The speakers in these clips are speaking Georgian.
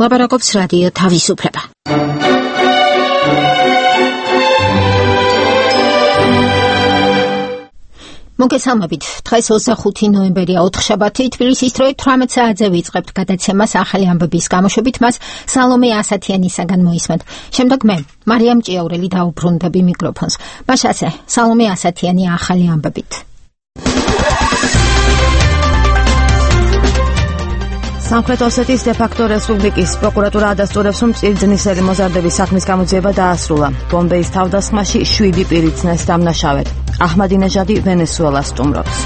ლაპარაკობს რადიო თავისუფლება. მოგესალმებით. დღეს 25 ნოემბერია, ოთხშაბათი, თბილისის დროით 18 საათზე ვიწყებთ გადაცემას ახალი ამბების გამოშვებით, მას სალომე ასათიანისაგან მოისმენთ. შემდეგ მე, მარიამ ჭიაურელი დაუბრუნდები მიკროფონს. მაშასე, სალომე ასათიანი ახალი ამბებით. სამხრეთ ოსეთის დე-ფაქტო რესპუბლიკის პროკურატურა ადასტურებს, რომ წირძნისელი მოზარდების საქმის გამოძიება დაასრულა. ბომბეის თავდასხმაში 7 პირი ცნეს დამნაშავედ. აჰმადინეჟადი ვენესუელას სტუმრობს.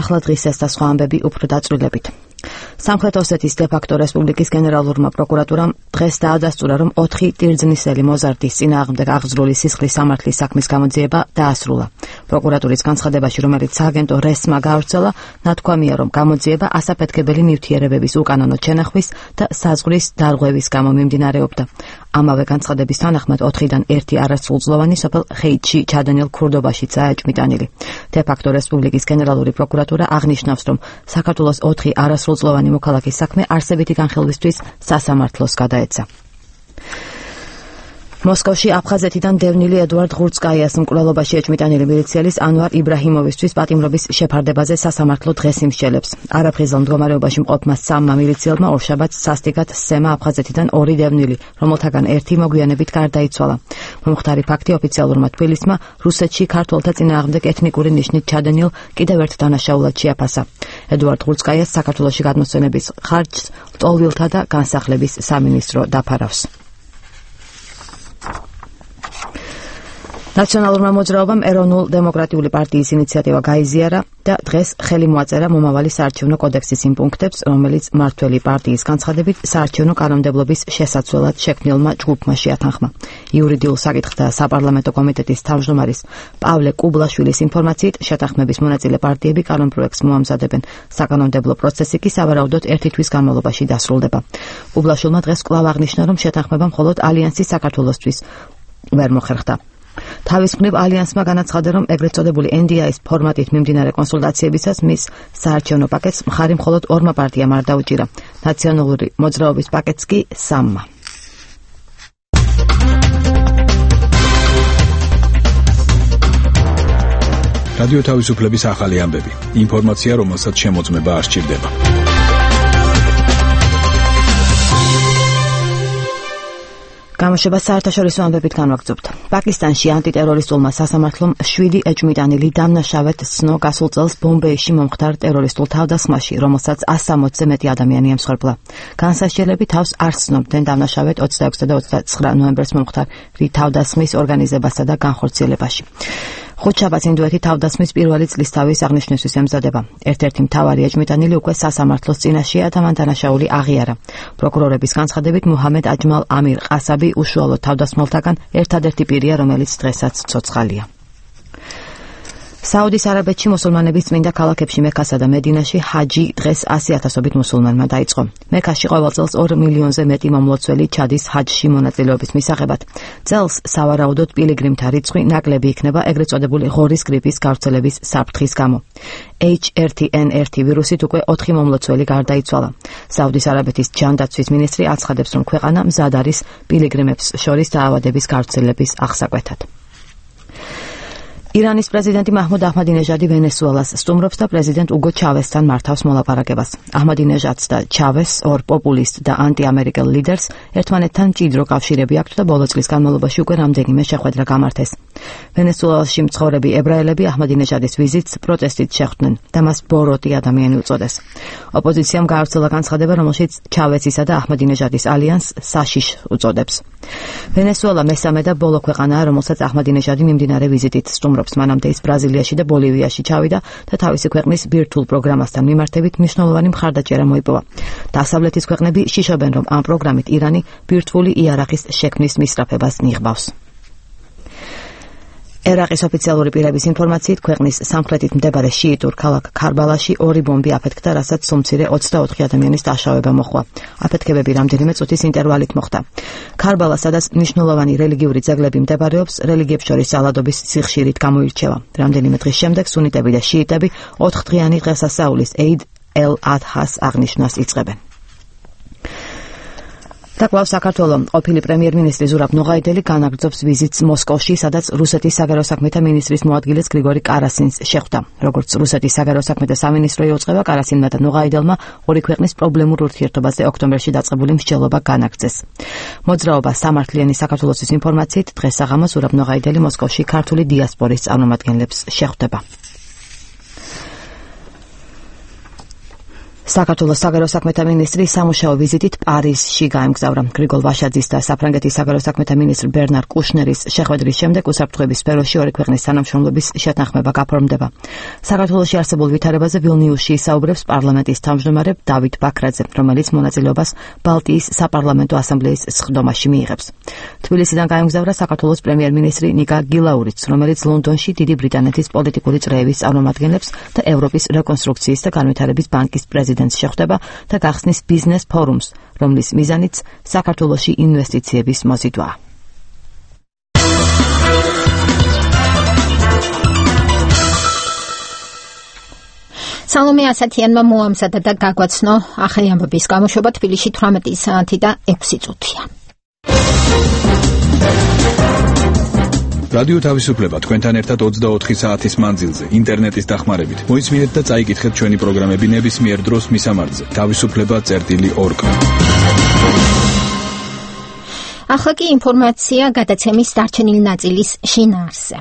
ახლა დღის ეს და სხვა ამბები უფრო დაწვრილებით. სამხრეთ ოსეთის დე-ფაქტო რესპუბლიკის გენერალურმა პროკურატურამ დღეს დაადასტურა, რომ 4 ტირძნისელი მოზარდის წინააღმდეგ აღძრული სისხლის სამართლის საქმის გამოძიება დაასრულა. პროკურატურის განცხადებაში, რომელიც სააგენტო რესმა გაავრცელა, ნათქვამია, რომ გამოძიება ასაფეთქებელი ნივთიერებების უკანონო ჩენახვის და საზღვრის დარღვევის გამო მიმდინარეობდა. ამავე განცხადების თანახმად 4-დან 1 არასრულწლოვანი სოფელ ხეითში ჩადენილ ქურდობაშიც აეჭმიტანილი. დე-ფაქტო რესპუბლიკის გენერალური პროკურატურა აღნიშნავს, რომ საქართველოს 4 არასრულწლოვანი მოქალაქის საქმე არსებითი განხილვისთვის სასამართლოს გადაეცა. მოსკოვში აფხაზეთიდან დევნილი ედუარდ ღურცკაიას მკვლელობაში ეჭმიტანილი მილიციელის ანვარ იბრაჰიმოვის პატიმრობის შეფარდებაზე სასამართლო დღეს იმსჯელებს. არაფრიზელ მდგომარეობაში მყოფმა 3 მილიციელმა ორშაბათს სასტიკად სცემა აფხაზეთიდან 2 დევნილი, რომელთაგან 1 მოგვიანებით გარდაიცვალა. მომხდარი ფაქტი ოფიციალურმა თბილისმა რუსეთში ქართველთა წინააღმდეგ ეთნიკური ნიშნით ჩადენილ კიდევ ერთ დანაშაულად შეაფასა. ედუარდ ღურცკაიას საქართველოში გადმოსვენების ხარჯს ლტოლვილთა და განსახლების სამინისტრო დაფარავს. ნაციონალურმა მოძრაობამ ეროვნულ დემოკრატიული პარტიის ინიციატივა გაიზიარა და დღეს ხელი მოაწერა მომავალი საარჩევნო კოდექსის იმ პუნქტებს, რომელიც მმართველი პარტიის განცხადებით საარჩევნო კანონმდებლობის შესაცვლელად შექმნილმა ჯგუფმა შეათანხმა. იურიდიულ საკითხთა საპარლამენტო კომიტეტის თავმჯდომარის პავლე კუბლაშვილის ინფორმაციით, შეთანხმების მონაწილე პარტიები კანონპროექტს მოამზადებენ. საკანონმდებლო პროცესი კი სავარაუდოდ 1 თვის განმავლობაში დასრულდება. კუბლაშვილმა დღეს კვლავ აღნიშნა, რომ შეთანხმება მხოლოდ ალიანსის საქართველოსთვის ვერ მოხერხდა. თავის მხრივ ალიანსმა განაცხადა, რომ ეგრეთ წოდებული NDI-ის ფორმატით მიმდინარე კონსულტაციებისას მის საარჩევნო პაკეტს მხარი მხოლოდ 2 პარტიამ არ დაუჭირა. ნაციონალური მოძრაობის პაკეტს კი 3-მა. რადიო თავისუფლების ახალი ამბები. ინფორმაცია, რომელსაც შემოწმება არ სჭირდება. გამოშვება საერთაშორისო ამბებით განვაგრძობთ. პაკისტანში ანტიტერორისტულმა სასამართლომ 7 ეჭმიტანილი დამნაშავედ ცნო გასულ წელს ბომბეიში მომხდარ ტერორისტულ თავდასხმაში, რომელსაც 160-ზე მეტი ადამიანი ემსხვერპლა. განსასჯელები თავს არ ცნობდნენ დამნაშავედ 26 და 29 ნოემბერს მომხდარ თავდასხმის ორგანიზებასა და განხორციელებაში. ხუთშაბათს ინდოეთი თავდასხმის პირველი წლისთავის აღნიშვნისთვის ემზადება. ერთ-ერთი მთავარი ეჭმიტანილი უკვე სასამართლოს წინაშეა და მან დანაშაული აღიარა. პროკურორების განცხადებით, მუჰამედ აჯმალ ამირ ყასაბი უშუალოდ თავდასხმელთაგან ერთადერთი პირია, რომელიც დღესაც ცოცხალია. საუდის არაბეთში მუსულმანების წმინდა ქალაქებში მექასა და მედინაში ჰაჯი დღეს 100,000-ობით მუსულმანმა დაიწყო. მექაში ყოველ წელს 2 მილიონზე მეტი მომლოცველი ჩადის ჰაჯში მონაწილეობის მისაღებად. წელს სავარაუდოდ პილიგრიმთა რიცხვი ნაკლები იქნება ეგრეთ წოდებული ღორის გრიპის გავრცელების საფრთხის გამო. H1N1 ვირუსით უკვე 4 მომლოცველი გარდაიცვალა. საუდის არაბეთის ჯანდაცვის მინისტრი აცხადებს, რომ ქვეყანა მზად არის პილიგრიმებს შორის დაავადების გავრცელების აღსაკვეთად. ირანის პრეზიდენტი მაჰმუდ აჰმადინეჟადი ვენესუელას სტუმრობს და პრეზიდენტ უგო ჩავესთან მართავს მოლაპარაკებას. აჰმადინეჟადს და ჩავესს, ორ პოპულისტ და ანტიამერიკელ ლიდერს ერთმანეთთან მჭიდრო კავშირები აქვთ და ბოლო წლის განმავლობაში უკვე რამდენიმე შეხვედრა გამართეს. ვენესუელაში მცხოვრები ებრაელები აჰმადინეჟადის ვიზიტს პროტესტით შეხვდნენ და მას ბოროტი ადამიანი უწოდეს. ოპოზიციამ გაავრცელა განცხადება, რომელშიც ჩავესისა და აჰმადინეჟადის ალიანსს საშიშს უწოდებს. ვენესუელა მესამე და ბოლო ქვეყანაა, რომელსაც აჰმადინეჟადი მიმდინარე ვიზიტით სტუმრობს. მანამდე ის ბრაზილიაში და ბოლივიაში ჩავიდა და თავისი ქვეყნის ბირთვულ პროგრამასთან მიმართებით მნიშვნელოვანი მხარდაჭერა მოიპოვა. დასავლეთის ქვეყნები შიშობენ, რომ ამ პროგრამით ირანი ბირთვული იარაღის შექმნის მისწრაფებას ნიღბავს. ერაყის ოფიციალური პირების ინფორმაციით, ქვეყნის სამხრეთით მდებარე შიიტურ ქალაქ ქარბალაში 2 ბომბი აფეთქდა, რასაც სულ მცირე 24 ადამიანის დაშავება მოჰყვა. აფეთქებები რამდენიმე წუთის ინტერვალით მოხდა. ქარბალა, სადაც მნიშვნელოვანი რელიგიური ძეგლები მდებარეობს, რელიგიებს შორის ალადობის სიხშირით გამოირჩევა. რამდენიმე დღის შემდეგ სუნიტები და შიიტები 4 დღიანი დღესასწაულის ეიდ ელ-ადჰას აღნიშვნას იწყებენ. Takvav საქართველოს ყოფილი პრემიერ-მინისტრი ზურაბ ნოღაიდელი განაგრძობს ვიზიტს მოსკოვში, სადაც რუსეთის საგარეო საქმეთა მინისტრის მოადგილეს გრიგორი კარასინს შეხვდა. Როგორც რუსეთის საგარეო საქმეთა სამინისტრო იუწყება, კარასინმა და ნოღაიდელმა ორი ქვეყნის პრობლემურ ურთიერთობაზე ოქტომბერში დაწყებული მსჯელობა განაგრძეს. მოძრაობა სამართლიანი საქართველოს ინფორმაციით დღეს საღამოს ზურაბ ნოღაიდელი მოსკოვში ქართული დიასპორის წარმომადგენლებს შეხვდება. საქართველოს საგარეო საქმეთა მინისტრი სამუშაო ვიზიტით პარიზში გაემგზავრა. გრიგოლ ვაშაძის და საფრანგეთის საგარეო საქმეთა მინისტრ ბერნარ კუშნერის შეხვედრის შემდეგ უსაფრთხოების სფეროში ორი ქვეყნის თანამშრომლობის შეთანხმება გაფორმდება. საქართველოში არსებულ ვითარებაზე ვილნიუსში ისაუბრებს პარლამენტის თავმჯდომარე დავით ბაქრაძე, რომელიც მონაწილეობას ბალტიის საპარლამენტო ასამბლეის სხდომაში მიიღებს. თბილისიდან გაემგზავრა საქართველოს პრემიერ-მინისტრი ნიკა გილაურიც, რომელიც ლონდონში დიდი ბრიტანეთის პოლიტიკური წრეების წარმომადგენლებს და ევროპის რეკონსტრუქციის და განვითარების ბანკის პრეზიდენტს შეხვდება და გახსნის ბიზნეს ფორუმს, რომლის მიზანიც საქართველოში ინვესტიციების მოზიდვაა. სალომე ასათიანმა მოამზადა და გაგვაცნო ახალი ამბების გამოშვება თბილისში 18 საათი და 6 წუთია. რადიო თავისუფლება თქვენთან ერთად 24 საათის მანძილზე ინტერნეტის დახმარებით. მოისმინეთ და წაიკითხეთ ჩვენი პროგრამები ნებისმიერ დროს მისამართზე. თავისუფლება.org. ახლა კი ინფორმაცია გადაცემის დარჩენილი ნაწილის შინაარსზე.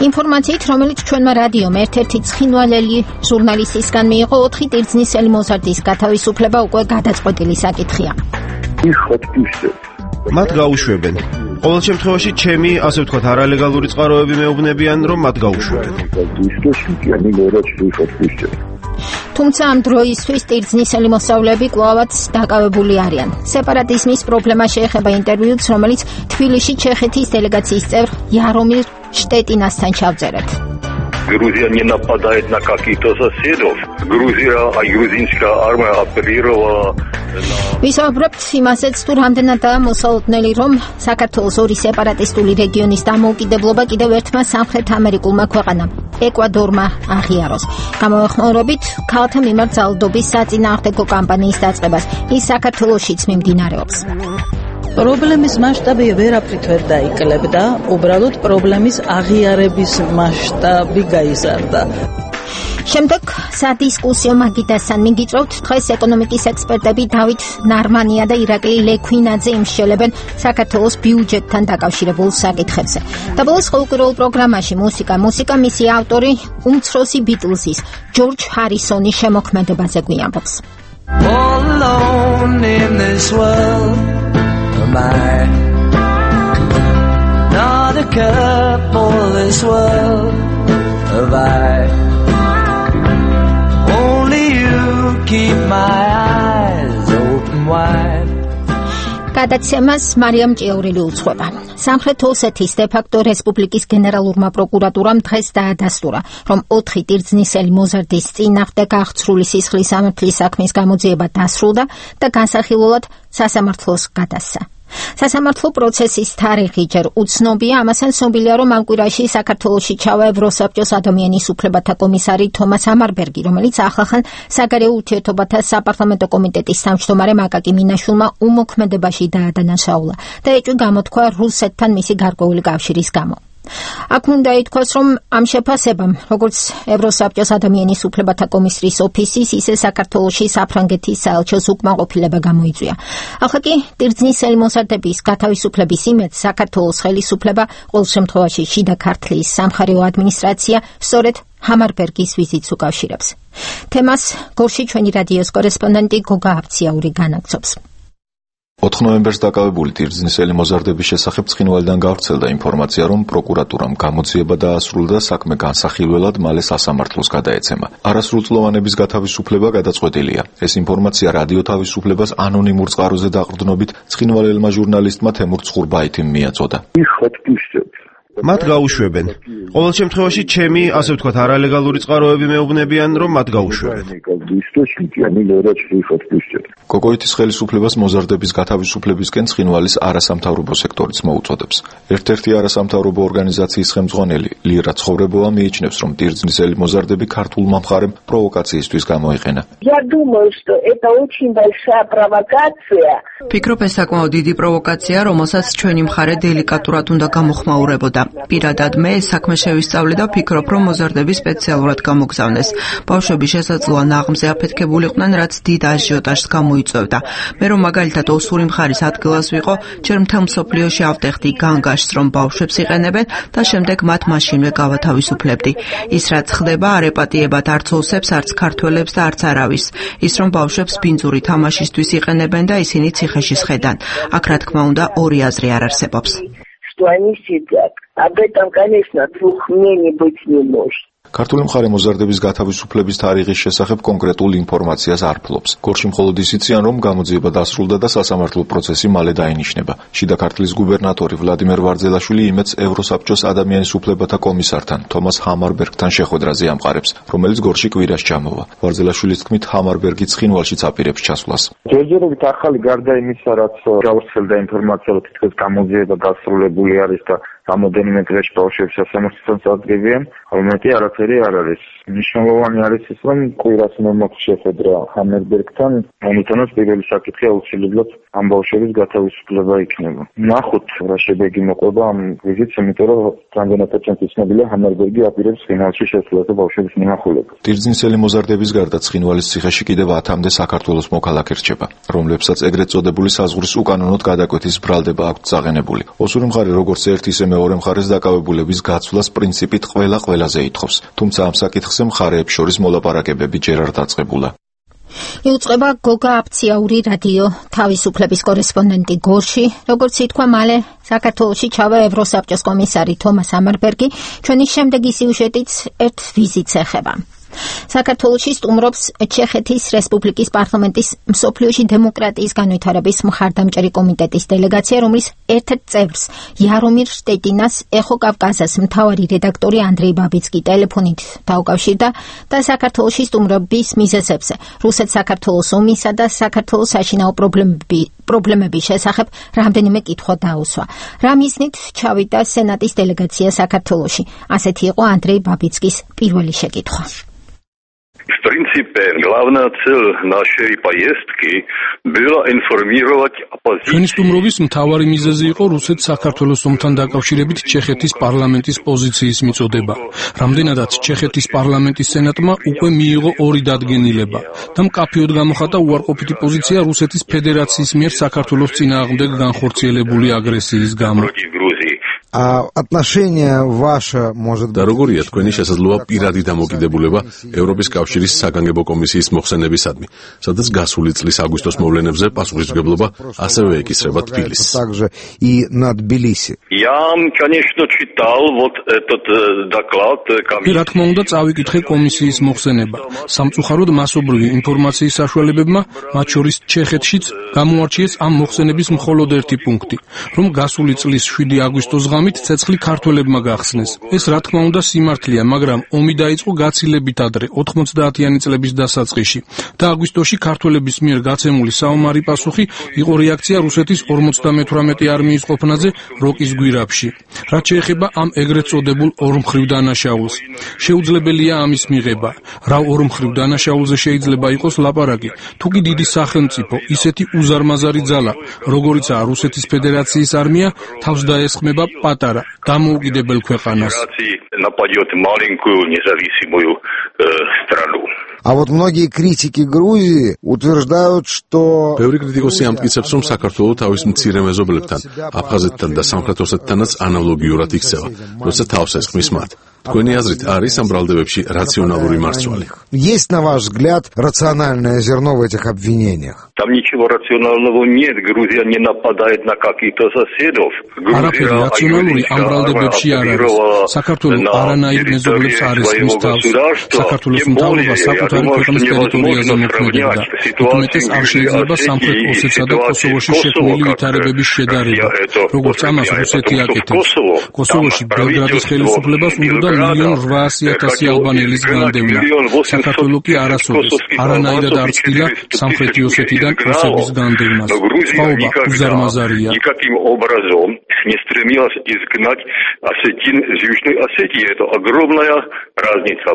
ინფორმაციით, რომელიც ჩვენმა რადიომ ერთ-ერთი ცხინვალელი ჟურნალისტისგან მიიღო, 4 ტირძნისელი მოზარდის გათავისუფლება უკვე გადაწყვეტილი საკითხია. მათ გაუშვებენ. ყოველ შემთხვევაში ჩემი, ასე ვთქვათ, არალეგალური წყაროები მეუბნებიან, რომ მათ გაუშვებენ. თუმცა ამ დროისთვის ტირძნისელი მოსწავლეები კვლავაც დაკავებული არიან. სეპარატიზმის პრობლემა შეეხება ინტერვიუც, რომელიც თბილისში ჩეხეთის დელეგაციის წევრ იარომირ შტეტინასთან ჩავწერეთ. Грузия не нападает на каких-то соседов. Грузинская армия оперировала. ვისაუბრებთ იმასაც, თუ რამდენადაა მოსალოდნელი, რომ საქართველოს ორი სეპარატისტული რეგიონის დამოუკიდებლობა კიდევ ერთმა სამხრეთ ამერიკულმა ქვეყანამ, ეკვადორმა აღიაროს. გამოვეხმაურებით ქალთა მიმართ ძალადობის საწინააღმდეგო კამპანიის დაწყებას. ის საქართველოშიც მიმდინარეობს. პრობლემის მასშტაბი ვერაფრით ვერ დაიკლებდა, უბრალოდ პრობლემის აღიარების მასშტაბი გაიზარდა. შემდეგ სადისკუსიო მაგიდასთან მიგიწევთ, დღეს ეკონომიკის ექსპერტები დავით ნარმანია და ირაკლი ლექვინაძე იმსჯელებენ საქართველოს ბიუჯეტთან დაკავშირებულ საკითხებზე. და ბოლოს ყოველკვირეულ პროგრამაში მუსიკა მისი ავტორი უმცროსი ბიტლზის ჯორჯ ჰარისონის შემოქმედებაზე გვიამბობს. Not a couple this world of only you keep my eyes open wide. გადაცემას მარიამ ჭიაურელი უძღვება. სამხრეთ ოსეთის დე-ფაქტო რესპუბლიკის გენერალურმა პროკურატურამ დღეს დაადასტურა, რომ 4 ტირძნისელი მოზარდის წინააღმდეგ აღწრული სისხლის სამართლის საქმის გამოძიება დასრულდა და განსახილველად სასამართლოს გადასცა. სასამართლო პროცესის თარიღი ჯერ უცნობია, ამასთან ცნობილია, რომ ამ კვირაში საქართველოში ჩავა ევროსაბჭოს ადამიანის უფლებათა კომისარი თომას ამარბერგი, რომელიც ახლახან საგარეო ურთიერთობათა საპარლამენტო კომიტეტის თავმჯდომარე მაკაკი მინაშვილმა უმოქმედებაში დაადანაშაულა და ეჭვი გამოთქვა რუსეთთან მისი გარკვეული კავშირის გამო. აქ უნდა ითქვას, რომ ამ შეფასებამ, როგორც ევროსაბჭოს ადამიანის უფლებათა კომისრის ოფისის, ისე საქართველოში საფრანგეთის საელჩოს უკმაყოფილება გამოიწვია. ახლა კი ტირძნისელი მოზარდების გათავისუფლების იმედს საქართველოს ხელისუფლება, ყოველ შემთხვევაში შიდა ქართლის სამხარეო ადმინისტრაცია, სწორედ ამარბერგის ვიზიტს უკავშირებს. თემას გორში ჩვენი რადიოს კორესპონდენტი გოგა აბციაური განაგრძობს. 4 ნოემბერს დაკავებული ტირძნისელი მოზარდების შესახებ ცხინვალიდან გავრცელდა ინფორმაცია, რომ პროკურატურამ გამოძიება დაასრულა და საქმე განსახილველად მალე სასამართლოს გადაეცემა. არასრულწლოვანების გათავისუფლება გადაწყვეტილია. ეს ინფორმაცია რადიო თავისუფლებას ანონიმურ წყაროზე დაყრდნობით ცხინვალელმა ჟურნალისტმა თემურ ცხურბაითიმ მიაწოდა. მათ გაუშვებენ. ყოველ შემთხვევაში ჩემი, ასე ვთქვათ, არალეგალური წყაროები მეუბნებიან, რომ მათ გაუშვებენ. კოკოიტის ხელისუფლებას მოზარდების გათავისუფლებისკენ ცხინვალის არასამთავრობო სექტორიც მოუწოდებს. ერთ-ერთი არასამთავრობო ორგანიზაციის ხელმძღვანელი ლირა ცხოვრებოვა მიიჩნევს, რომ ტირძნისელი მოზარდები ქართულმა მხარემ პროვოკაციისთვის გამოიყენა. ფიქრობ, ეს საკმაოდ დიდი პროვოკაცია, რომელსაც ჩვენი მხარე დელიკატურად უნდა გამოხმაურებოდა. პირადად მე ეს საქმე შევისწავლე და ვფიქრობ, რომ მოზარდები სპეციალურად გამოგზავნეს. ბავშვები შესაძლოა ნაღმზე აფეთქებულიყვნენ, რაც დიდ აჟიოტაჟს გამოიწვევდა. მე რომ მაგალითად ოსური მხარის ადგილას ვიყო, ჯერ მთელ მსოფლიოში ავტეხდი განგაშს, რომ ბავშვებს იყენებენ და შემდეგ მათ მაშინვე გავათავისუფლებდი. ის რაც ხდება, არ ეპატიებათ არც ოსებს, არც ქართველებს და არც არავის. ის რომ ბავშვებს ბინძური თამაშისთვის იყენებენ და ისინი ციხეში სხედან. აქ რა თქმა უნდა ორი აზრი არ არსებობს. ქართული მხარე მოზარდების გათავისუფლების თარიღის შესახებ კონკრეტულ ინფორმაციას არ ფლობს. გორში მხოლოდ ის იციან, რომ გამოძიება დასრულდა და სასამართლო პროცესი მალე დაინიშნება. შიდა ქართლის გუბერნატორი ვლადიმერ ვარძელაშვილი იმედს ევროსაბჭოს ადამიანის უფლებათა კომისართან, თომას ჰამარბერგთან შეხვედრაზე ამყარებს, რომელიც გორში კვირას ჩამოვა. ვარძელაშვილის თქმით, ჰამარბერგი ცხინვალშიც აპირებს ჩასვლას. ჯერჯერობით ახალი გარდა იმისა, რაც გავრცელდა ინფორმაცია, რომ თითქოს გამოძიება დასრულებული არის და რამოდენიმე დღეში ბავშვებს სასამართლოთან წარდგებიან, ხოლმე არაფერი არ არის. მნიშვნელოვანი არის ის, რომ კვირას მომაქვს შეხვედრა ჰამერბერგთან, ამიტომაც პირველი საკითხი აუცილებლად ამ ბავშვების გათავისუფლება იქნება. ნახოთ რა შედეგი მოყვება ამ ვიზიტს, იმიტომ რომ რამდენადაც ცნობილია ჰამერბერგი აპირებს ცხინვალში შესვლას და ბავშვების მონახულებას. ტირძნისელი მოზარდების გარდა ცხინვალის ციხეში კიდევ 10-მდე საქართველოს მოქალაქე რჩება, რომლებსაც ეგრეთ წოდებული საზღვრის უკანონოდ გადაკვეთის ბრალდება აქვთ წაღენებული. ოსური მხარე როგორც ერთ ისე მეორე მხარეს დაკავებულების გაცვლას პრინციპით ყველაზე ითხოვს, თუმცა ამ საკითხზე მხარეებს შორის მოლაპარაკებები ჯერ არ დაწყებულა. იუწყება გოგა აფციაური რადიო თავისუფლების კორესპონდენტი გორში, როგორც ითქვა, მალე საქართველოში ჩავა ევროსაბჭოს კომისარი თომას ჰამარბერგი, ჩვენი შემდეგი სიუჟეტიც ერთ ვიზიტს ეხება. საქართველოში სტუმრობს ჩეხეთის რესპუბლიკის პარლამენტის მსოფლიოში დემოკრატიის განვითარების მხარდამჭერი კომიტეტის დელეგაცია, რომლის ერთ-ერთ წევრს იარომირ შტეტინას ეხო კავკასიის მთავარი რედაქტორი ანდრეი ბაბიცკი ტელეფონით დაუკავშირდა და საქართველოში სტუმრობის მიზეზებზე, რუსეთ-საქართველოს ომისა და საქართველოს საშინაო პრობლემების შესახებ რამდენიმე კითხვა დაუსვა. რა მიზნით ჩავიდა სენატის დელეგაცია საქართველოში? ასეთი იყო ანდრეი ბაბიცკის პირველი შეკითხვა. В принципе, главная цель нашей поездки была информировать оппозицию. ჩვენი სტუმრობის მთავარი მიზეზი იყო რუსეთ-საქართველოს ომთან დაკავშირებით ჩეხეთის პარლამენტის პოზიციის მიწოდება. რამდენადაც ჩეხეთის პარლამენტის სენატმა უკვე მიიღო 2 დადგენილება და მკაფიოდ გამოხატა უარყოფითი პოზიცია რუსეთის ფედერაციის მიერ საქართველოს წინააღმდეგ განხორციელებული აგრესიის გამო. და როგორია თქვენი შესაძლოა პირადი დამოკიდებულება ევროპის კავშირის საგანგებო კომისიის მოხსენებისადმი, სადაც გასული წლის აგვისტოს მოვლენებზე პასუხისმგებლობა ასევე ეკისრება თბილისს. რა თქმა უნდა, წავიკითხე კომისიის მოხსენება. სამწუხაროდ მასობრივი ინფორმაციის საშუალებებმა, მათ შორის ჩეხეთშიც, გამოარჩიეს ამ მოხსენების მხოლოდ ერთი პუნქტი, რომ გასული წლის 7 აგვისტოს ღამით ცეცხლი ქართველებმა გახსნეს. ეს რა თქმა უნდა სიმართლეა, მაგრამ ომი დაიწყო გაცილებით ადრე, 90-იანი წლების დასაწყისში და აგვისტოში ქართველების მიერ გაცემული საომარი პასუხი იყო რეაქცია რუსეთის 58 არმიის ყოფნაზე როკის გვირაბში. რაც შეეხება ამ ეგრეთ წოდებულ ორმხრივ დანაშაულს, შეუძლებელია ამის მიღება. რა ორმხრივ დანაშაულზე შეიძლება იყოს ლაპარაკი? თუკი დიდი სახელმწიფო, ისეთი უზარმაზარი ძალა, როგორიცაა რუსეთის ფედერაციის არმია, თავს დაესხმება პატარა დამოუკიდებელ ქვეყანას. многие критики Грузии утверждают, что ბევრი კრიტიკოსი ამტკიცებს, რომ საქართველოს თავის მცირე მეზობლებთან, აფხაზეთთან და სამხრეთ ოსეთთანაც ანალოგიურად იქცევა, როცა თავს ესხმის მათ. Თქვენი აზრით არის ამ ბრალდებებში რაციონალური მარცვალი? Есть, на ваш взгляд, рациональное зерно в этих обвинениях? Там ничего рационального нет. Грузия не нападает на каких-то соседов. Грузия рационალური ამ ბრალდებებში არ არის. საქართველოს არანაირ მეზობლებს არ ისმის თავს. საქართველოს მთავრობა საკუთარი ქვეყნის ტერიტორიაზე მოქმედებდა. უმეტეს არ შეიძლება სამხრეთ ოსეთსა და კოსოვოში შექმნილი ვითარებების შედარება, როგორც ამას რუსეთი აკეთებს. კოსოვოში ბელგრადის ხელისუფლებას უნდა 1.8 ალბანელის განდევნა. საქართველო კი არასოდეს არანაირად არ ცდილა სამხრეთი ოსეთიდან რუსების განდევნას. სხვაობა უზარმაზარია. Никаким образом не стремилась изгнать Осетин из Южной Осетии. Это огромная разница.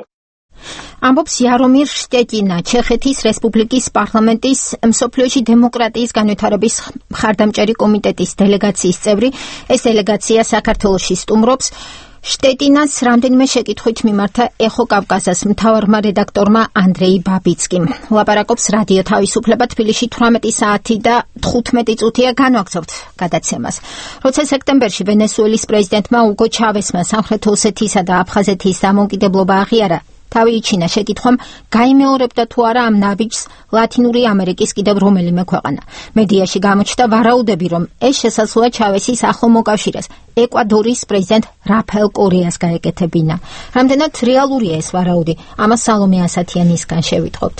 ამბობს იარომირ შტეტინა, ჩეხეთის რესპუბლიკის პარლამენტის მსოფლიოში დემოკრატიის განვითარების მხარდამჭერი კომიტეტის დელეგაციის წევრი. ეს დელეგაცია საქართველოში სტუმრობს. შტეტინას რამდენიმე შეკითხვით მიმართა ეხო კავკასას მთავარმა რედაქტორმა ანდრეი ბაბიცკიმ. ლაპარაკობს რადიო თავისუფლება თბილისში 18 საათი და 15 წუთია განვაგრძობთ გადაცემას. როცა სექტემბერში ვენესუელის პრეზიდენტმა უგო ჩავესმა სამხრეთ ოსეთისა და აფხაზეთის დამოუკიდებლობა აღიარა, თავი იჩინა შეკითხვამ გაიმეორებდა თუ არა ამ ნაბიჯს ლათინური ამერიკის კიდევ რომელიმე ქვეყანა. მედიაში გამოჩნდა ვარაუდები, რომ ეს შესაძლოა ჩავესის ახლო მოკავშირეს ეკვადორის პრეზიდენტ რაფაელ კორეას გაეკეთებინა. რამდენად რეალურია ეს ვარაუდი? ამას სალომე ასათიანისგან შევიტყობთ.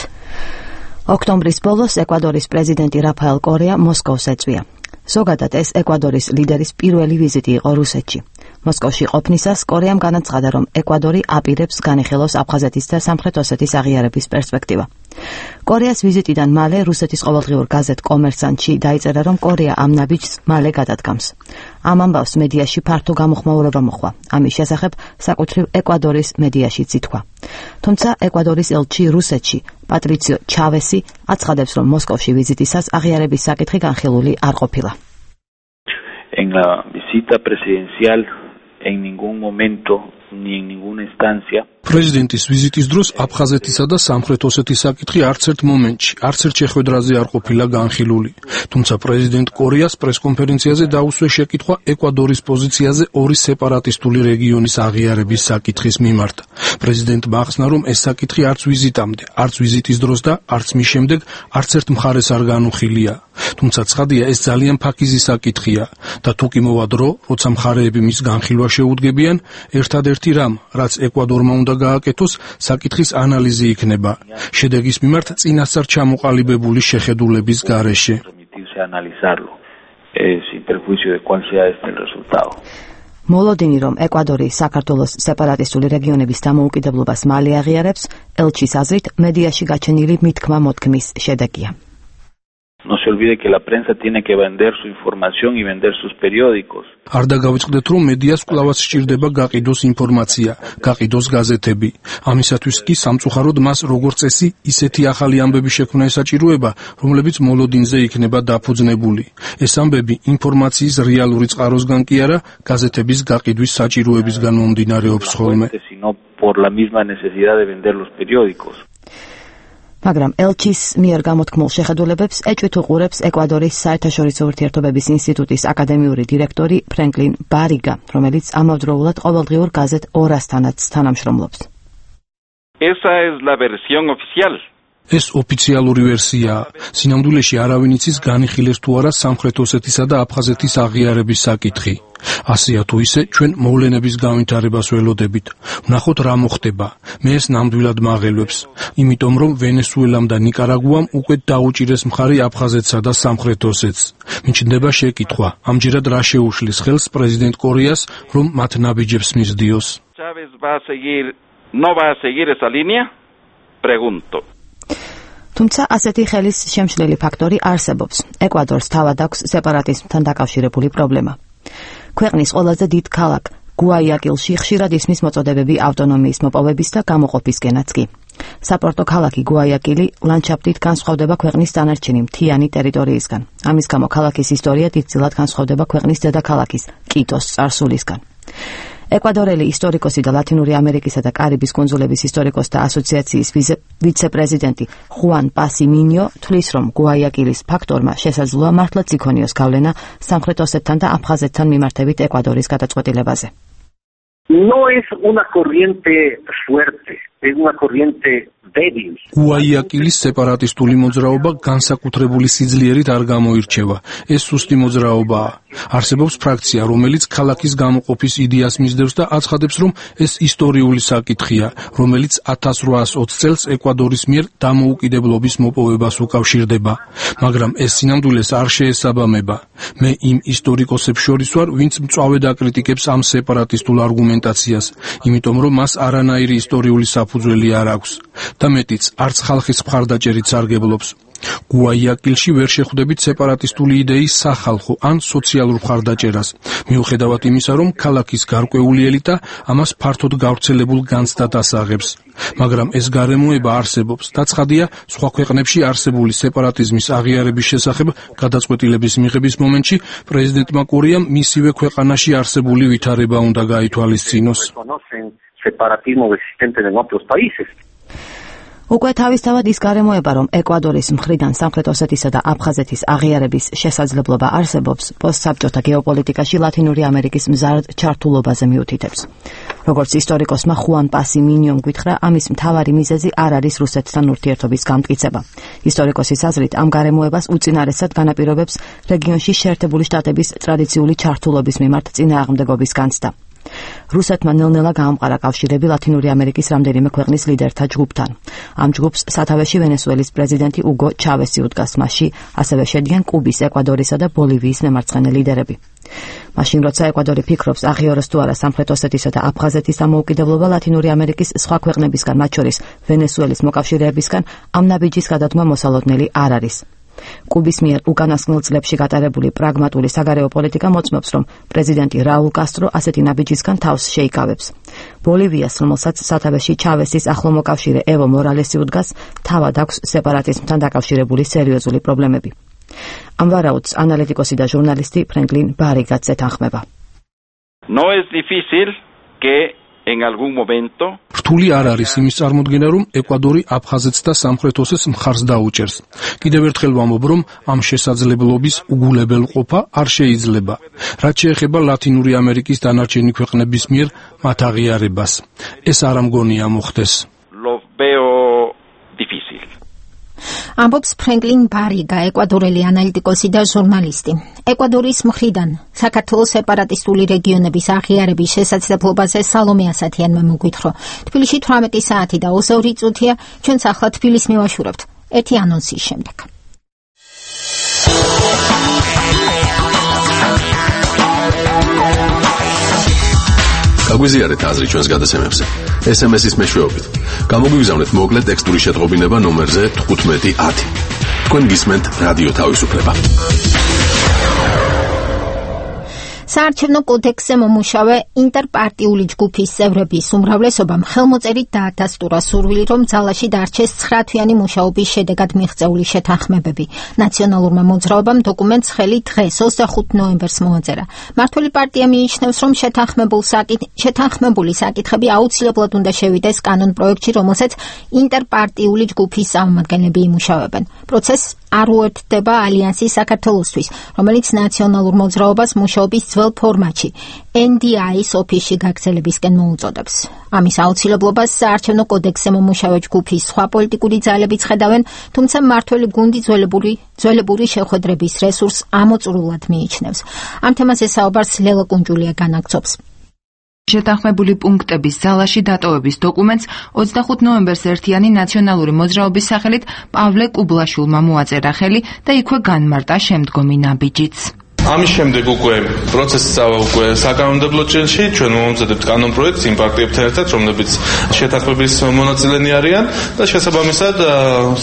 ოქტომბრის ბოლოს ეკვადორის პრეზიდენტი რაფაელ კორეა მოსკოვს ეწვია. ზოგადად ეს ეკვადორის ლიდერის პირველი ვიზიტი იყო რუსეთში. მოსკოვში ყოფნისას კორეამ განაცხადა, რომ ეკვადორი აპირებს განიხილოს აფხაზეთის და სამხრეთ ოსეთის აღიარების პერსპექტივა. კორეას ვიზიტიდან მალე რუსეთის ყოველდღიურ გაზეთ კომერსანტში დაიწერა, რომ კორეა ამ ნაბიჯს მალე გადადგამს. ამ ამბავს მედიაში ფართო გამოხმაურება მოჰყვა. ამის შესახებ საკუთრივ ეკვადორის მედიაშიც ითქვა. თუმცა ეკვადორის ელჩი რუსეთში პატრიციო ჩავესი აცხადებს, რომ მოსკოვში ვიზიტისას აღიარების საკითხი განხილული არ ყოფილა. En la visita presidencial en ningún momento ni en ninguna instancia პრეზიდენტის ვიზიტის დროს აფხაზეთისა და სამხრეთ ოსეთის საკითხი არც ერთ მომენტში, არც ერთ შეხვედრაზე არ ყოფილა განხილული. თუმცა პრეზიდენტ კორეას პრესკონფერენციაზე დაუსვე შეკითხვა ეკვადორის პოზიციაზე ორი სეპარატისტული რეგიონის აღიარების საკითხის მიმართ. პრეზიდენტმა ახსნა, რომ ეს საკითხი არც ვიზიტამდე, არც ვიზიტის დროს და არც მის შემდეგ არც ერთ მხარეს არ განუხილია. თუმცა ცხადია, ეს ძალიან ფაქიზი საკითხია და თუ კი მოვა დრო, როცა მხარეები მის განხილვა შეუდგებიან, ერთადერთი რამ, რაც ეკვადორმა უნდა გააკეთოს, საკითხის ანალიზი იქნება. შედეგის მიმართ წინასწარ ჩამოყალიბებული შეხედულების გარეშე. მოლოდინი, რომ ეკვადორი საქართველოს სეპარატისტული რეგიონების დამოუკიდებლობას მალე აღიარებს, ელჩის აზრით, მედიაში გაჩენილი მითქმა-მოთქმის შედეგია. No se olvide que la prensa tiene que vender su información y vender sus periódicos. არ დაგავიწყდეთ, რომ მედიას კვლავაც სჭირდება გაყიდოს ინფორმაცია, გაყიდოს გაზეთები. ამისათვის კი სამწუხაროდ მას როგორც წესი ისეთი ახალი ამბები შექმნა ესაჭიროება, რომლებიც მოლოდინზე იქნება დაფუძნებული. ეს ამბები ინფორმაციის რეალური წყაროსგან კი არა, გაზეთების გაყიდვის საჭიროებისგან მომდინარეობს ხოლმე. მაგრამ ელჩის მიერ გამოთქმულ შეხედულებებს ეჭვით უყურებს ეკვადორის საერთაშორისო ურთიერთობების ინსტიტუტის აკადემიური დირექტორი ფრენკლინ ბარიგა, რომელიც ამავდროულად ყოველდღიურ გაზეთ ორასთანაც თანამშრომლობს. Esa es la versión oficial. ეს ოფიციალური ვერსიაა. სინამდვილეში არავინ იცის განიხილეს თუ არა სამხრეთ ოსეთისა და აფხაზეთის აღიარების საკითხი. ასეა თუ ისე ჩვენ მოვლენების განვითარებას ველოდებით. ვნახოთ რა მოხდება. მე ეს ნამდვილად მაღელვებს. იმიტომ რომ ვენესუელამ და ნიკარაგუამ უკვე დაუჭირეს მხარი აფხაზეთსა და სამხრეთ ოსეთს. მიჩნდება შეკითხვა. ამჯერად რა შეუშლის ხელს პრეზიდენტ კორეას, რომ მათ ნაბიჯებს მისდიოს? Chávez no va a seguir esa línea? Pregunto. თუმცა ასეთი ხელის შემშლელი ფაქტორი არსებობს. ეკვადორს თავად აქვს სეპარატიზმთან დაკავშირებული პრობლემა. ქვეყნის ყველაზე დიდ ქალაქ გუაიაკილში ხშირად ისმის მოწოდებები ავტონომიის მოპოვების და გამოყოფისკენაც კი. საპორტო ქალაქი გუაიაკილი ლანდშაფტით განსხვავდება ქვეყნის დანარჩენი მთიანი ტერიტორიისგან. ამის გამო ქალაქის ისტორია დიდწილად განსხვავდება ქვეყნის დედაქალაქის კიტოს წარსულისგან. ეკვადორელი ისტორიკოსი და ლათინური ამერიკისა და კარიბის კუნძულების ისტორიკოსთა ასოციაციის ვიცე-პრეზიდენტი ხუან პასიმინიო თვლის, რომ გუაიაკილის ფაქტორმა შესაძლოა მართლაც იქონიოს გავლენა სამხრეთ ოსეთთან და აფხაზეთთან მიმართებით ეკვადორის გადაწყვეტილებაზე. No es una corriente fuerte, es una corriente débil. გუაიაკილის სეპარატისტული მოძრაობა განსაკუთრებული სიძლიერით არ გამოირჩევა. ეს სუსტი მოძრაობაა. არსებობს ფრაქცია, რომელიც ქალაქის გამოყოფის იდეას მისდევს და აცხადებს, რომ ეს ისტორიული საკითხია, რომელიც 1820 წელს ეკვადორის მიერ დამოუკიდებლობის მოპოვებას უკავშირდება. მაგრამ ეს სინამდვილეს არ შეესაბამება. მე იმ ისტორიკოსებს შორის ვარ, ვინც მწვავედ აკრიტიკებს ამ სეპარატისტულ არგუმენტაციას, იმიტომ რომ მას არანაირი ისტორიული საფუძველი არ აქვს. და მეტიც, არც ხალხის მხარდაჭერით სარგებლობს. გუაიაკილში ვერ შეხვდებით სეპარატისტული იდეის სახალხო ან სოციალურ მხარდაჭერას, მიუხედავად იმისა, რომ ქალაქის გარკვეული ელიტა ამას ფართოდ გავრცელებულ განცდად ასაღებს. მაგრამ ეს გარემოება არსებობს და ცხადია, სხვა ქვეყნებში არსებული სეპარატიზმის აღიარების შესახებ გადაწყვეტილების მიღების მომენტში პრეზიდენტმა კორიამ მისივე ქვეყანაში არსებული ვითარება უნდა გაითვალისწინოს. უკვე თავისთავად ის გარემოება, რომ ეკვადორის მხრიდან სამხრეთ ოსეთისა და აფხაზეთის აღიარების შესაძლებლობა არსებობს, პოსტსაბჭოთა გეოპოლიტიკაში ლათინური ამერიკის მზარდ ჩართულობაზე მიუთითებს. როგორც ისტორიკოსმა ხუან პასი მინიომ გითხრა, ამის მთავარი მიზეზი არ არის რუსეთთან ურთიერთობის გამტკიცება. ისტორიკოსის აზრით, ამ გარემოებას უწინარესად განაპირობებს რეგიონში შეერთებული შტატების ტრადიციული ჩართულობის მიმართ წინააღმდეგობის განცდა. რუსეთმა ნელ-ნელა გაამყარა კავშირები ლათინური ამერიკის რამდენიმე ქვეყნის ლიდერთა ჯგუფთან. ამ ჯგუფს სათავეში ვენესუელის პრეზიდენტი უგო ჩავესი უდგას, მასში ასევე შედიან კუბის, ეკვადორისა და ბოლივიის მემარცხენე ლიდერები. მაშინ როცა ეკვადორი ფიქრობს აღიაროს თუ არა სამხრეთ ოსეთისა და აფხაზეთის დამოუკიდებლობა ლათინური ამერიკის სხვა ქვეყნებისგან, მათ შორის ვენესუელის მოკავშირეებისგან, ამ ნაბიჯის გადადგმა მოსალოდნელი არ არის. კუბის მიერ უკანასკნელ წლებში გატარებული პრაგმატული საგარეო პოლიტიკა მოწმობს, რომ პრეზიდენტი რაულ კასტრო ასეთი ნაბიჯისგან თავს შეიკავებს. ბოლივიას, რომელსაც სათავეში ჩავესის ახლო მოკავშირე ევო მორალესი უდგას, თავად აქვს სეპარატიზმთან დაკავშირებული სერიოზული პრობლემები. ამ ვარაუდს ანალიტიკოსი და ჟურნალისტი ფრენკლინ ბარიგაც ეთანხმება. No es difícil que en algún momento რთული არ არის იმის წარმოდგენა, რომ ეკვადორი აფხაზეთს და სამხრეთ ოსეთს მხარს დაუჭერს. კიდევ ერთხელ ვამბობ, რომ ამ შესაძლებლობის უგულებელყოფა არ შეიძლება. რაც შეეხება ლათინური ამერიკის დანარჩენი ქვეყნების მიერ მათ აღიარებას, ეს არ ამგონია მოხდეს. Lo veo difícil. ამბობს ფრენკლინ ბარიგა, ეკვადორელი ანალიტიკოსი და ჟურნალისტი. ეკვადორის მხრიდან საქართველოს სეპარატისტული რეგიონების აღიარების შესაძლებლობაზე სალომე ასათიანმა მოგვითხრო. თბილისში 18 საათი და 22 წუთია, ჩვენც ახლა თბილისს მივაშურებთ. ერთი ანონსის შემდეგ. გაგვიზიარეთ აზრი ჩვენს გადაცემებზე. SMS-ის მეშვეობით. გამოგვიგზავნეთ მოკლე ტექსტური შეტყობინება ნომერზე 1510. თქვენ გისმენთ რადიო თავისუფლება. საარჩევნო კოდექსზე მომუშავე ინტერპარტიული ჯგუფის წევრების უმრავლესობამ ხელმოწერით დაადასტურა სურვილი, რომ ძალაში დარჩეს 9 თვიანი მუშაობის შედეგად მიღწეული შეთანხმებები. ნაციონალურმა მოძრაობამ დოკუმენტს ხელი დღეს 25 ნოემბერს მოაწერა. მმართველი პარტია მიიჩნევს, რომ შეთანხმებული საკითხები აუცილებლად უნდა შევიდეს კანონ პროექტში, რომელსაც ინტერპარტიული ჯგუფის წარმომადგენლები იმუშავებენ. პროცესს არ უერთდება ალიანსის საქართველოსთვის, რომელიც ნაციონალურ მოძრაობას მუშაობის ძველ ფორმატში NDI-ის ოფისში გაგრძელებისკენ მოუწოდებს. ამის აუცილებლობას საარჩევნო კოდექსზე მომუშავე ჯგუფის სხვა პოლიტიკური ძალებიც ხედავენ, თუმცა მმართველი გუნდი ძველებური შეხვედრების რესურსს ამოწურულად მიიჩნევს. ამ თემაზე საუბარს ლელა კუნჯულია განაგრძობს. შეთანხმებული პუნქტების ძალაში დატოვების დოკუმენტს 25 ნოემბერს ერთიანი ნაციონალური მოძრაობის სახელით პავლე კუბლაშვილმა მოაწერა ხელი და იქვე განმარტა შემდგომი ნაბიჯიც. ამის შემდეგ უკვე პროცესი წავა უკვე საკანონმდებლო ჭრილში, ჩვენ მომზადებთ კანონ პროექტს იმ პარტიებთან ერთად, რომლებიც შეთანხმების მონაწილენი არიან და შესაბამისად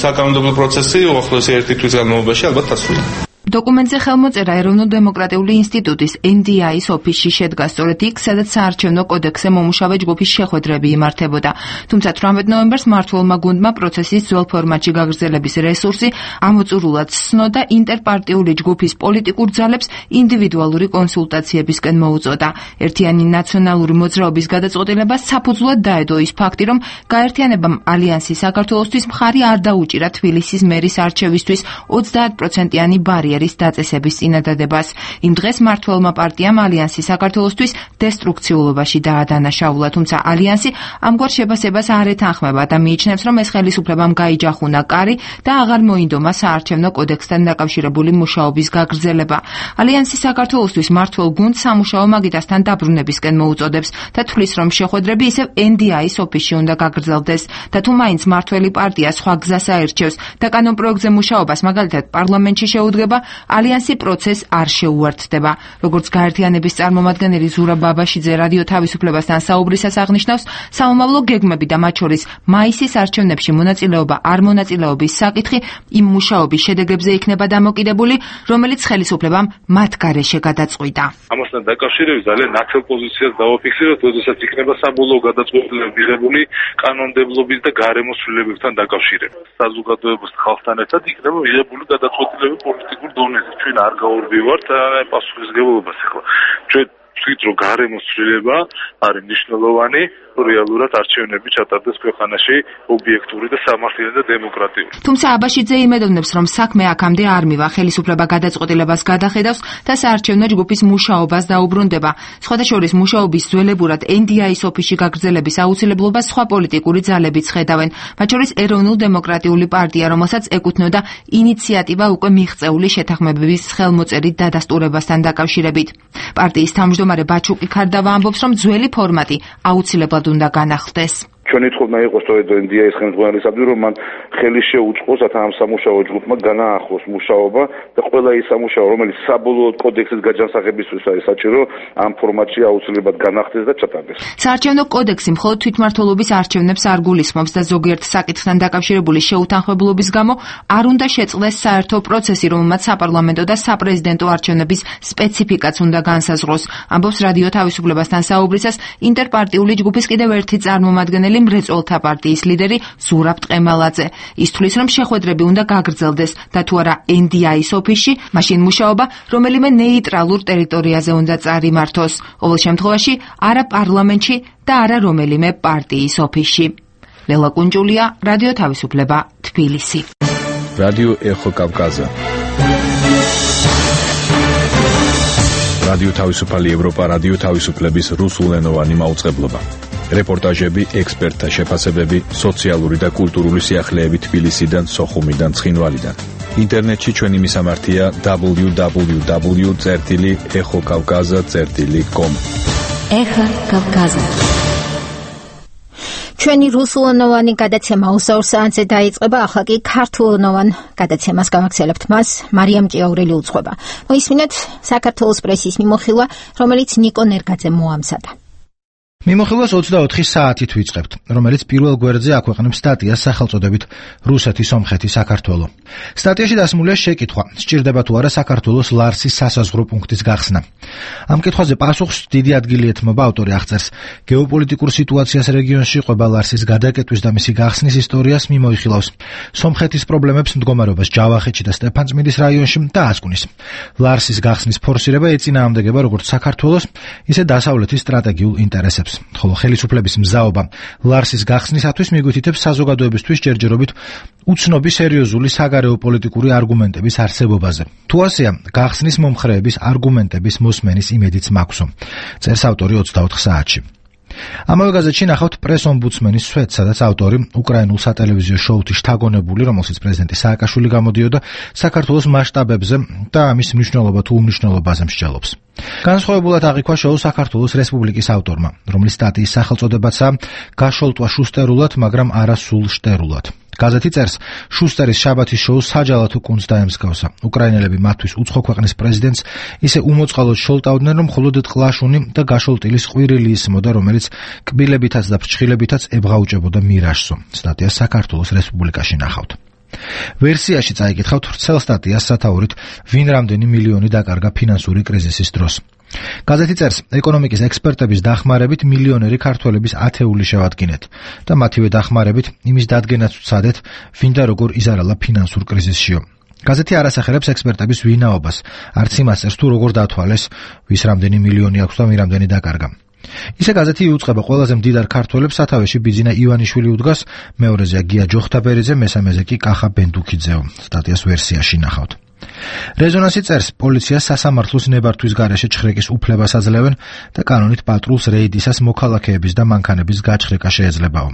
საკანონმდებლო პროცესი უახლოესი ერთი თვის განმავლობაში ალბათ დასრულდება. დოკუმენტზე ხელმოწერა ეროვნულ-დემოკრატიული ინსტიტუტის NDI-ის ოფისში შედგა სწორედ იქ, სადაც საარჩევნო კოდექსზე მომუშავე ჯგუფის შეხვედრები იმართებოდა. თუმცა 18 ნოემბერს მმართველმა გუნდმა პროცესის ძველ ფორმატში გაგრძელების რესურსი ამოწურულად სცნოდა ინტერპარტიული ჯგუფის პოლიტიკურ ძალებს ინდივიდუალური კონსულტაციებისკენ მოუწოდა. ერთიანი ნაციონალური მოძრაობის გადაწყვეტილებას საფუძვლად დაედო ის ფაქტი, რომ გაერთიანებამ ალიანსი საქართველოსთვის მხარი არ დაუჭირა თბილისის მერის არჩევისთვის 30%-იანი ბარიერი ბარიერის დაწესების წინადადებას. იმ დღეს მმართველმა პარტიამ ალიანსი საქართველოსთვის დესტრუქციულობაში დაადანაშაულა, თუმცა ალიანსი ამგვარ შებასებას არ ეთანხმება და მიიჩნევს, რომ ეს ხელისუფლებამ გაიჯახუნა კარი და აღარ მოინდომა საარჩევნო კოდექსთან დაკავშირებული მუშაობის გაგრძელება. ალიანსი საქართველოსთვის მმართველ გუნდს სამუშაო მაგიდასთან დაბრუნებისკენ მოუწოდებს და თვლის, რომ შეხვედრები ისევ NDI-ის ოფისში უნდა გაგრძელდეს და თუ მაინც მმართველი პარტია სხვა გზას აერჩევს და კანონპროექტზე მუშაობას მაგალითად პარლამენტში შეუდგება, ალიანსი პროცესს არ შეუერთდება. როგორც გაერთიანების წარმომადგენელი ზურაბ ბაბაშიძე რადიო თავისუფლებასთან საუბრისას აღნიშნავს, საომავლო გეგმები და მათ შორის მაისის არჩევნებში მონაწილეობა არ მონაწილეობის საკითხი იმ მუშაობის შედეგებზე იქნება დამოკიდებული, რომელიც ხელისუფლებამ მათ გარეშე გადაწყვიტა. ამასთან დაკავშირებით ძალიან ნათელ პოზიციას დავაფიქსიროთ, როდესაც იქნება საბოლოო გადაწყვეტილება მიღებული კანონმდებლობის და გარემოს ცვლილებებთან დაკავშირებით. საზოგადოებას ხალხთან ერთად იქნება მიღებული გადაწყვეტილება პოლიტიკურ დონეზე. ჩვენ არ გავურბივართ პასუხისმგებლობას ახლა. ჩვენ ვთქვით, რომ გარემოს ცვლილება არის მნიშვნელოვანი, რეალურად არჩევნები ჩატარდეს ქვეყანაში ობიექტური და სამართლიანი და დემოკრატიული. თუმცა აბაშიძე იმედოვნებს, რომ საქმე აქამდე არ მივა, ხელისუფლება გადაწყვეტილებას გადახედავს და საარჩევნო ჯგუფის მუშაობას დაუბრუნდება. სხვადასხვა მუშაობის ძველებურად NDI-ის ოფისში გაგრძელების აუცილებლობას სხვა პოლიტიკური ძალებიც ხედავენ, მათ შორის ეროვნულ-დემოკრატიული პარტია, რომელსაც ეკუთვნოდა ინიციატივა უკვე მიღწეული შეთანხმებების ხელმოწერით დადასტურებასთან დაკავშირებით. პარტიის თავმჯდომარე ბაჩუკი ქარდავა ამბობს, რომ ძველი ფორმატი აუცილებლად უნდა განახლდეს. ჩვენი თხოვნა იყო სწორედ NDI-ის ხელმძღვანელისადმი, რომ მან ხელი შეუწყოს ამ სამუშაო ჯგუფმა განაახლოს მუშაობა და ყველა ის სამუშაო, რომელიც საბოლოოდ კოდექსის გაჯანსაღებისთვის არის საჭირო, ამ ფორმატში აუცილებლად განახდეს და ჩატარდეს. საარჩევნო კოდექსი მხოლოდ თვითმმართველობის არჩევნებს არ გულისხმობს და ზოგიერთ საკითხთან დაკავშირებული შეუთანხმებლობის გამო არ უნდა შეწყდეს საერთო პროცესი, რომელმაც საპარლამენტო და საპრეზიდენტო არჩევნების სპეციფიკაც უნდა განსაზღვროს. ამბობს რადიო თავისუფლებასთან საუბრისას ინტერპარტიული ჯგუფის კიდევ ერთი წარმომადგენელი მრეწველთა პარტიის ლიდერი ზურაბ ტყემალაძე. ის თვლის, რომ შეხვედრები უნდა გაგრძელდეს და თუ არა NDI-ის ოფისში, მაშინ მუშაობა რომელიმე ნეიტრალურ ტერიტორიაზე უნდა წარიმართოს. ყოველ შემთხვევაში არა პარლამენტში და არა რომელიმე პარტიის ოფისში. ლელა კუნჯულია, რადიო თავისუფლება, თბილისი. რადიო ეხო კავკაზა. რადიო თავისუფალი ევროპა, რადიო თავისუფლების რუსულენოვანი მაუწყებლობა. რეპორტაჟები, ექსპერტთა შეფასებები, სოციალური და კულტურული სიახლეები თბილისიდან, სოხუმიდან, ცხინვალიდან. ინტერნეტში ჩვენი მისამართია www.exokavkaza.com. ეხა კავკაზა. ჩვენი რუსულენოვანი გადაცემა 24 საათზე დაიწყება, ახლა კი ქართულენოვან გადაცემას გავაგრძელებთ. მას მარიამ ჭიაურელი უძღვება. მოისმინეთ საქართველოს პრესის მიმოხილვა, რომელიც ნიკო ნერგაძემ მოამზადა. მიმოხილვას 24 საათით ვიწყებთ, რომელიც პირველ გვერდზე აქვეყნებს სტატიას სახელწოდებით რუსეთი, სომხეთი, საქართველო. სტატიაში დასმულია შეკითხვა, სჭირდება თუ არა საქართველოს ლარსის სასაზღვრო პუნქტის გახსნა. ამ კითხვაზე პასუხს დიდი ადგილი ეთმობა, ავტორი აღწერს გეოპოლიტიკურ სიტუაციას რეგიონში, ყვება ლარსის გადაკეტვის და მისი გახსნის ისტორიას, მიმოიხილავს სომხეთის პრობლემებს, მდგომარეობას ჯავახეთში და სტეფანწმინდის რაიონში და ასკუნის. ლარსის გახსნის ფორსირება ეწინააღმდეგება როგორც საქართველოს, ისე დასავლეთის სტრატეგიულ ინტერესებს. ხოლო ხელისუფლების მზაობა ლარსის გახსნისათვის მიგვითითებს საზოგადოებისთვის ჯერჯერობით უცნობი სერიოზული საგარეო პოლიტიკური არგუმენტების არსებობაზე. თუ ასეა, გახსნის მომხრეების არგუმენტების მოსმენის იმედიც მაქვსო. წერს ავტორი 24 საათში. ამავე გაზეთში ნახავთ პრეს-ომბუდსმენის სვეტს, სადაც ავტორი უკრაინულ სატელევიზიო შოუთი შთაგონებული, რომელშიც პრეზიდენტი სააკაშვილი გამოდიოდა, საქართველოს მასშტაბებზე და ამის მნიშვნელობა თუ უმნიშვნელობაზე მსჯელობს. განსხვავებულად აღიქვა შოუ საქართველოს რესპუბლიკის ავტორმა, რომლის სტატიის სახელწოდებაცაა გაშოლტვა შუსტერულად, მაგრამ არა სულ შტერულად. გაზეთი წერს, შუსტერის შაბათის შოუ საჯალათო კუნძს დაემსგავსა. უკრაინელები მათთვის უცხო ქვეყნის პრეზიდენტს ისე უმოწყალოდ შოლტავდნენ, რომ მხოლოდ ტყლაშუნი და გაშოლტილის ყვირილი ისმოდა, რომელიც კბილებითაც და ფრჩხილებითაც ებღაუჭებოდა მირაჟსო. სტატიას საქართველოს რესპუბლიკაში ნახავთ. ვერსიაში წაიკითხავთ ვრცელ სტატიას სათაურით, ვინ რამდენი მილიონი დაკარგა ფინანსური კრიზისის დროს. გაზეთი წერს, ეკონომიკის ექსპერტების დახმარებით მილიონერი ქართველების ათეული შევადგინეთ და მათივე დახმარებით იმის დადგენაც ვცადეთ, ვინ და როგორ იზარალა ფინანსურ კრიზისშიო. გაზეთი არ ასახელებს ექსპერტების ვინაობას, არც იმას წერს თუ როგორ დათვალეს, ვის რამდენი მილიონი აქვს და ვინ რამდენი დაკარგა. ისე გაზეთი იუწყება ყველაზე მდიდარ ქართველებს, სათავეში ბიძინა ივანიშვილი უდგას, მეორეზეა გია ჯოხთაბერიძე, მესამეზე კი კახა ბენდუქიძეო. სტატიას ვერსიაში ნახავთ. რეზონანსი წერს, პოლიცია სასამართლოს ნებართვის გარეშე ჩხრეკის უფლებას აძლევენ და კანონით პატრულს რეიდისას მოქალაქეების და მანქანების გაჩხრეკა შეეძლებაო.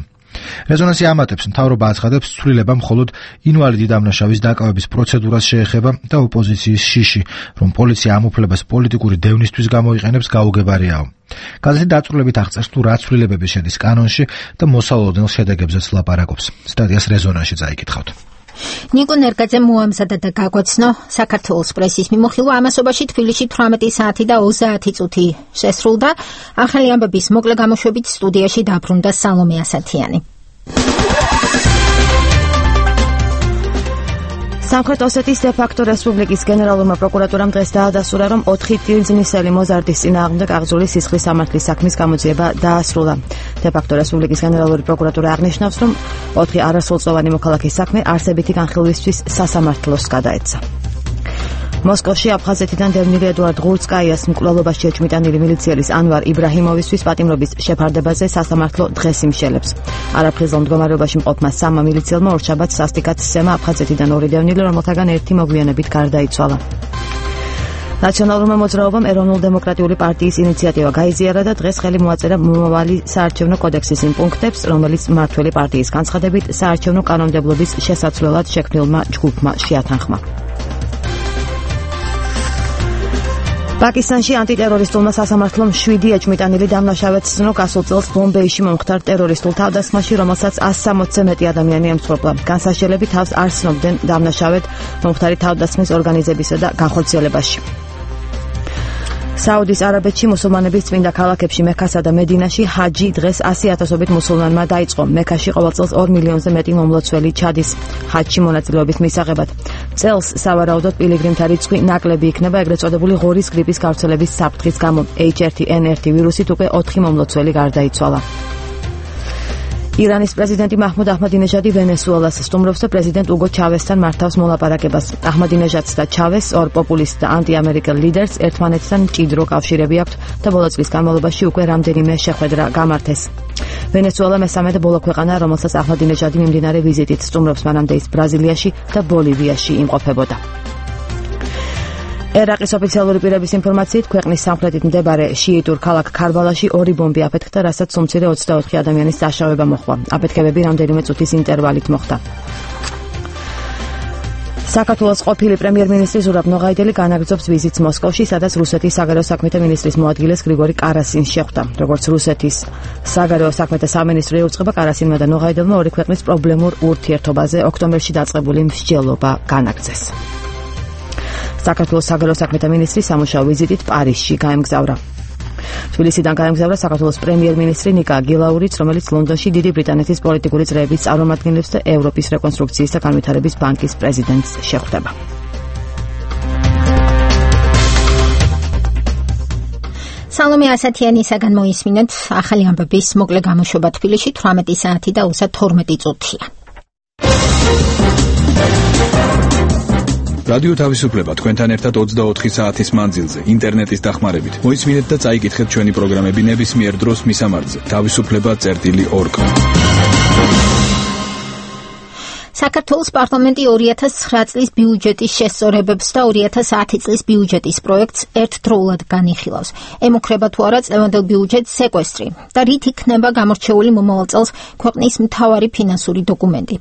რეზონანსი ამატებს, მთავრობა აცხადებს, ცვლილება მხოლოდ ინვალიდი დამნაშავის დაკავების პროცედურას შეეხება და ოპოზიციის შიში, რომ პოლიცია ამ უფლებას პოლიტიკური დევნისთვის გამოიყენებს, გაუგებარიაო. გაზეთი დაწვრილებით აღწერს, თუ რა ცვლილებები შედის კანონში და მოსალოდნელ შედეგებზეც ლაპარაკობს. სტატიას რეზონანსში წაიკითხავთ. ნიკო ნერგაძე მოამზადა და გაგვაცნო საქართველოს პრესის მიმოხილვა ამასობაში თბილისში 18 საათი და 30 წუთი შესრულდა. ახალი ამბების მოკლე გამოშვებით სტუდიაში დაბრუნდა სალომე ასათიანი. სამხრეთ ოსეთის დე-ფაქტო რესპუბლიკის გენერალურმა პროკურატურამ დღეს დაადასტურა, რომ 4 ტილზნისელი მოზარდის წინააღმდეგ აღძრული სისხლის სამართლის საქმის გამოძიება დაასრულა. დე-ფაქტო რესპუბლიკის გენერალური პროკურატურა აღნიშნავს, რომ 4 არასრულწლოვანი მოქალაქის საქმე არსებითი განხილვისთვის სასამართლოს გადაეცა. მოსკოვში აფხაზეთიდან დევნილი ედუარდ ღურცკაიას მკვლელობაში ეჭვმიტანილი მილიციელის ანვარ იბრაჰიმოვისთვის პატიმრობის შეფარდებაზე სასამართლო დღეს იმშელებს. არაფრთხილ მდგომარეობაში მყოფმა 3 მილიციელმა ორშაბათს სასტიკად სცემა აფხაზეთიდან 2 დევნილი, რომელთაგან 1 მოგვიანებით გარდაიცვალა. ნაციონალურმა მოძრაობამ ეროვნულ-დემოკრატიული პარტიის ინიციატივა გაიზიარა და დღეს ხელი მოაწერა მომავალი საარჩევნო კოდექსის იმ პუნქტებს, რომელიც მმართველი პარტიის განცხადებით საარჩევნო კანონმდებლობის შესაცვლელად შექმნილმა ჯგუფმა შეათანხმა. პაკისტანში ანტიტერორისტულმა სასამართლომ 7 ეჭვმიტანილი დამნაშავედ სცნო გასულ წელს ბომბეიში მომხდარ ტერორისტულ თავდასხმაში, რომელსაც 160-ზე მეტი ადამიანი ემსხვერპლა. განსაშელები თავს არ სცნობდნენ დამნაშავედ მომხდარი თავდასხმის ორგანიზებისა და განხორციელებაში. საუდის არაბეთში მუსულმანების წმინდა ქალაქებში მექასა და მედინაში ჰაჯი დღეს 100,000-ობით მუსულმანმა დაიწყო. მექაში ყოველ წელს 2 მილიონზე მეტი მომლოცველი ჩადის ჰაჯში მონაწილეობის მისაღებად. წელს სავარაუდოდ პილიგრიმთა რიცხვი ნაკლები იქნება, ეგრეთ წოდებული ღორის გრიპის გავრცელების საფრთხის გამო. H1N1 ვირუსით უკვე 4 მომლოცველი გარდაიცვალა. ირანის პრეზიდენტი მაჰმუდ აჰმადინეჟადი ვენესუელას სტუმრობს და პრეზიდენტ უგო ჩავესთან მართავს მოლაპარაკებას. აჰმადინეჟადს და ჩავეს, ორ პოპულისტ და ანტიამერიკელ ლიდერს ერთმანეთთან მჭიდრო კავშირები აქვთ და ბოლო წლის განმავლობაში უკვე რამდენიმე შეხვედრა გამართეს. ვენესუელა მესამე და ბოლო ქვეყანაა, რომელსაც აჰმადინეჟადი მიმდინარე ვიზიტით სტუმრობს, მანამდე ის ბრაზილიაში და ბოლივიაში იმყოფებოდა. ერაყის ოფიციალური პირების ინფორმაციით, ქვეყნის სამხრეთით მდებარე შიიტურ ქალაქ ქარბალაში 2 ბომბი აფეთქდა, რასაც უმცირე 24 ადამიანის დაშავება მოჰყვა. აფეთქებები რამდენიმე წუთის ინტერვალით მოხდა. საქართველოს ყოფილი პრემიერ-მინისტრი ზურაბ ნოღაიდელი განაგრძობს ვიზიტს მოსკოვში, სადაც რუსეთის საგარეო საქმეთა მინისტრის მოადგილეს გრიგორი კარასინს შეხვდა. როგორც რუსეთის საგარეო საქმეთა სამინისტრო ეუწყება, კარასინმა და ნოღაიდელმა ორი ქვეყნის პრობლემურ ურთიერთობაზე ოქტომბერში დაწყებული მსჯელობა განაგრძეს. საქართველოს საგარეო საქმეთა მინისტრი სამუშაო ვიზიტით პარიზში გაემგზავრა. თბილისიდან გაემგზავრა საქართველოს პრემიერ-მინისტრი ნიკა გილაურიც, რომელიც ლონდონში დიდი ბრიტანეთის პოლიტიკური წრეების წარმომადგენლებს და ევროპის რეკონსტრუქციის და განვითარების ბანკის პრეზიდენტს შეხვდება. სალომე ასათიანისაგან მოისმინეთ ახალი ამბების მოკლე გამოშვება თბილისში 18 საათი და 32 წუთია. რადიო თავისუფლება თქვენთან ერთად 24 საათის მანძილზე ინტერნეტის დახმარებით. მოისმინეთ და წაიკითხეთ ჩვენი პროგრამები ნებისმიერ დროს მისამართზე. თავისუფლება.org. საქართველოს პარლამენტი 2009 წლის ბიუჯეტის შესწორებებს და 2010 წლის ბიუჯეტის პროექტს ერთდროულად განიხილავს. ემუქრება თუ არა წლევანდელ ბიუჯეტს სეკვესტრი და რით იქნება გამორჩეული მომავალ წელს ქვეყნის მთავარი ფინანსური დოკუმენტი.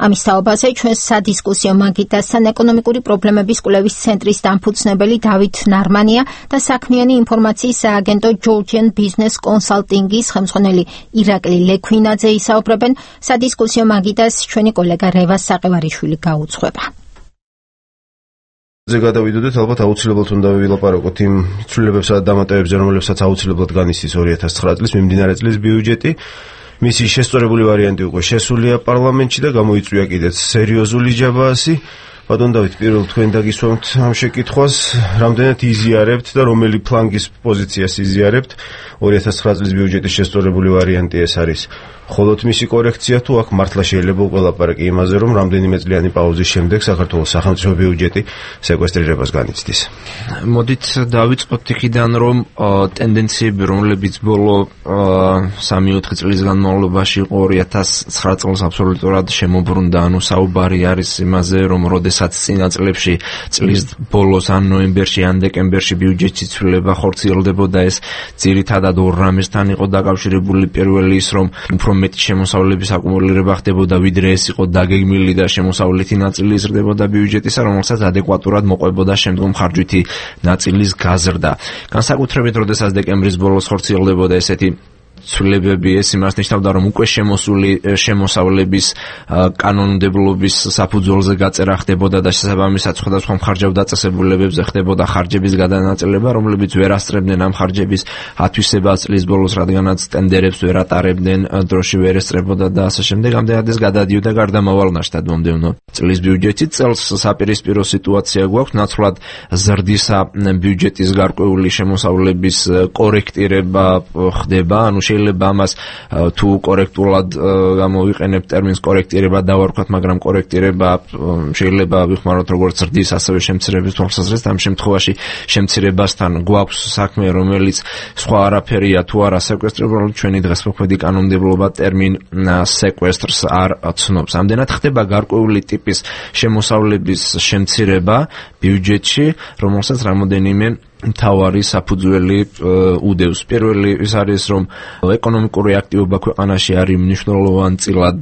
ამის თაობაზე ჩვენს სადისკუსიო მაგიდასთან ეკონომიკური პრობლემების კვლევის ცენტრის დამფუძნებელი დავით ნარმანია და საქმიანი ინფორმაციის სააგენტო Georgian Business Consulting-ის ხელმძღვანელი ირაკლი ლექვინაძე ისაუბრებენ. სადისკუსიო მაგიდას ჩვენი კოლეგა რევას საყევარიშვილი გაუძღვება. გადავიდოდეთ, ალბათ აუცილებლად უნდა ვილაპარაკოთ იმ ცვლილებებსა და დამატებებზე, რომლებსაც აუცილებლად განიცდის 2009 წლის მიმდინარე წლის ბიუჯეტი. მისი შესწორებული ვარიანტი უკვე შესულია პარლამენტში და გამოიწვია კიდეც სერიოზული ჯაბაასი. ბატონ დავით, პირველ თქვენ დაგისვამთ ამ შეკითხვას, რამდენად იზიარებთ და რომელი ფლანგის პოზიციას იზიარებთ 2009 წლის ბიუჯეტის შესწორებული ვარიანტი ეს არის. ხოლოთ მისი კორექცია თუ აქ მართლა შეიძლება უკვე ლაპარაკი იმაზე, რომ რამდენიმე წლიანი პაუზის შემდეგ საქართველოს სახელმწიფო ბიუჯეტი სეკვესტრირებას განიცდის. მოდით დავიწყოთ იქიდან, რომ ტენდენციები, რომლებიც ბოლო 3-4 წლის განმავლობაში 2009 წელს აბსოლუტურად შემოbrunდა, ანუ საუბარი არის იმაზე, რომ როდესაც რომელსაც წინა წლებში წლის ბოლოს ან ნოემბერში ან დეკემბერში ბიუჯეტის ცვლილება ხორციელდებოდა, ეს ძირითადად ორ რამესთან იყო დაკავშირებული. პირველი ის, რომ უფრო მეტი შემოსავლების აკუმულირება ხდებოდა, ვიდრე ეს იყო დაგეგმილი და შემოსავლითი ნაწილი იზრდებოდა ბიუჯეტისა, რომელსაც ადეკვატურად მოყვებოდა შემდგომ ხარჯვითი ნაწილის გაზრდა. განსაკუთრებით, როდესაც დეკემბრის ბოლოს ხორციელდებოდა ესეთი ცვლილებები, ეს იმას ნიშნავდა, რომ უკვე შემოსული შემოსავლების კანონმდებლობის საფუძველზე გაწერა ხდებოდა და შესაბამისად სხვადასხვა მხარჯავდაწესებულებებზე ხდებოდა ხარჯების გადანაწილება, რომლებიც ვერ ასწრებდნენ ამ ხარჯების ათვისებას წლის ბოლოს, რადგანაც ტენდერებს ვერ ატარებდნენ, დროში ვერ ესწრებოდა და ასე შემდეგ. ამდენად ეს გადადიოდა გარდამავალ ნაშთად მომდევნო წლის ბიუჯეტი. წელს საპირისპირო სიტუაცია გვაქვს, ნაცვლად ზრდისა ბიუჯეტის გარკვეული შემოსავლების კორექტირება ხდება, ანუ შეიძლება ამას თუ კორექტულად გამოვიყენებ ტერმინს კორექტირება დავარქვათ, მაგრამ კორექტირება შეიძლება ვიხმაროთ როგორც ზრდის, ასევე შემცირების თვალსაზრისით. ამ შემთხვევაში შემცირებასთან გვაქვს საქმე, რომელიც სხვა არაფერია თუ არა სეკვესტრირებული, ჩვენი დღესმოქმედი კანონმდებლობა ტერმინ სეკვესტრს არ ცნობს. ამდენად ხდება გარკვეული ტიპის შემოსავლების შემცირება ბიუჯეტში, რომელსაც რამოდენიმე მთავარი საფუძველი უდევს. პირველი ის არის, რომ ეკონომიკური აქტივობა ქვეყანაში არის მნიშვნელოვანწილად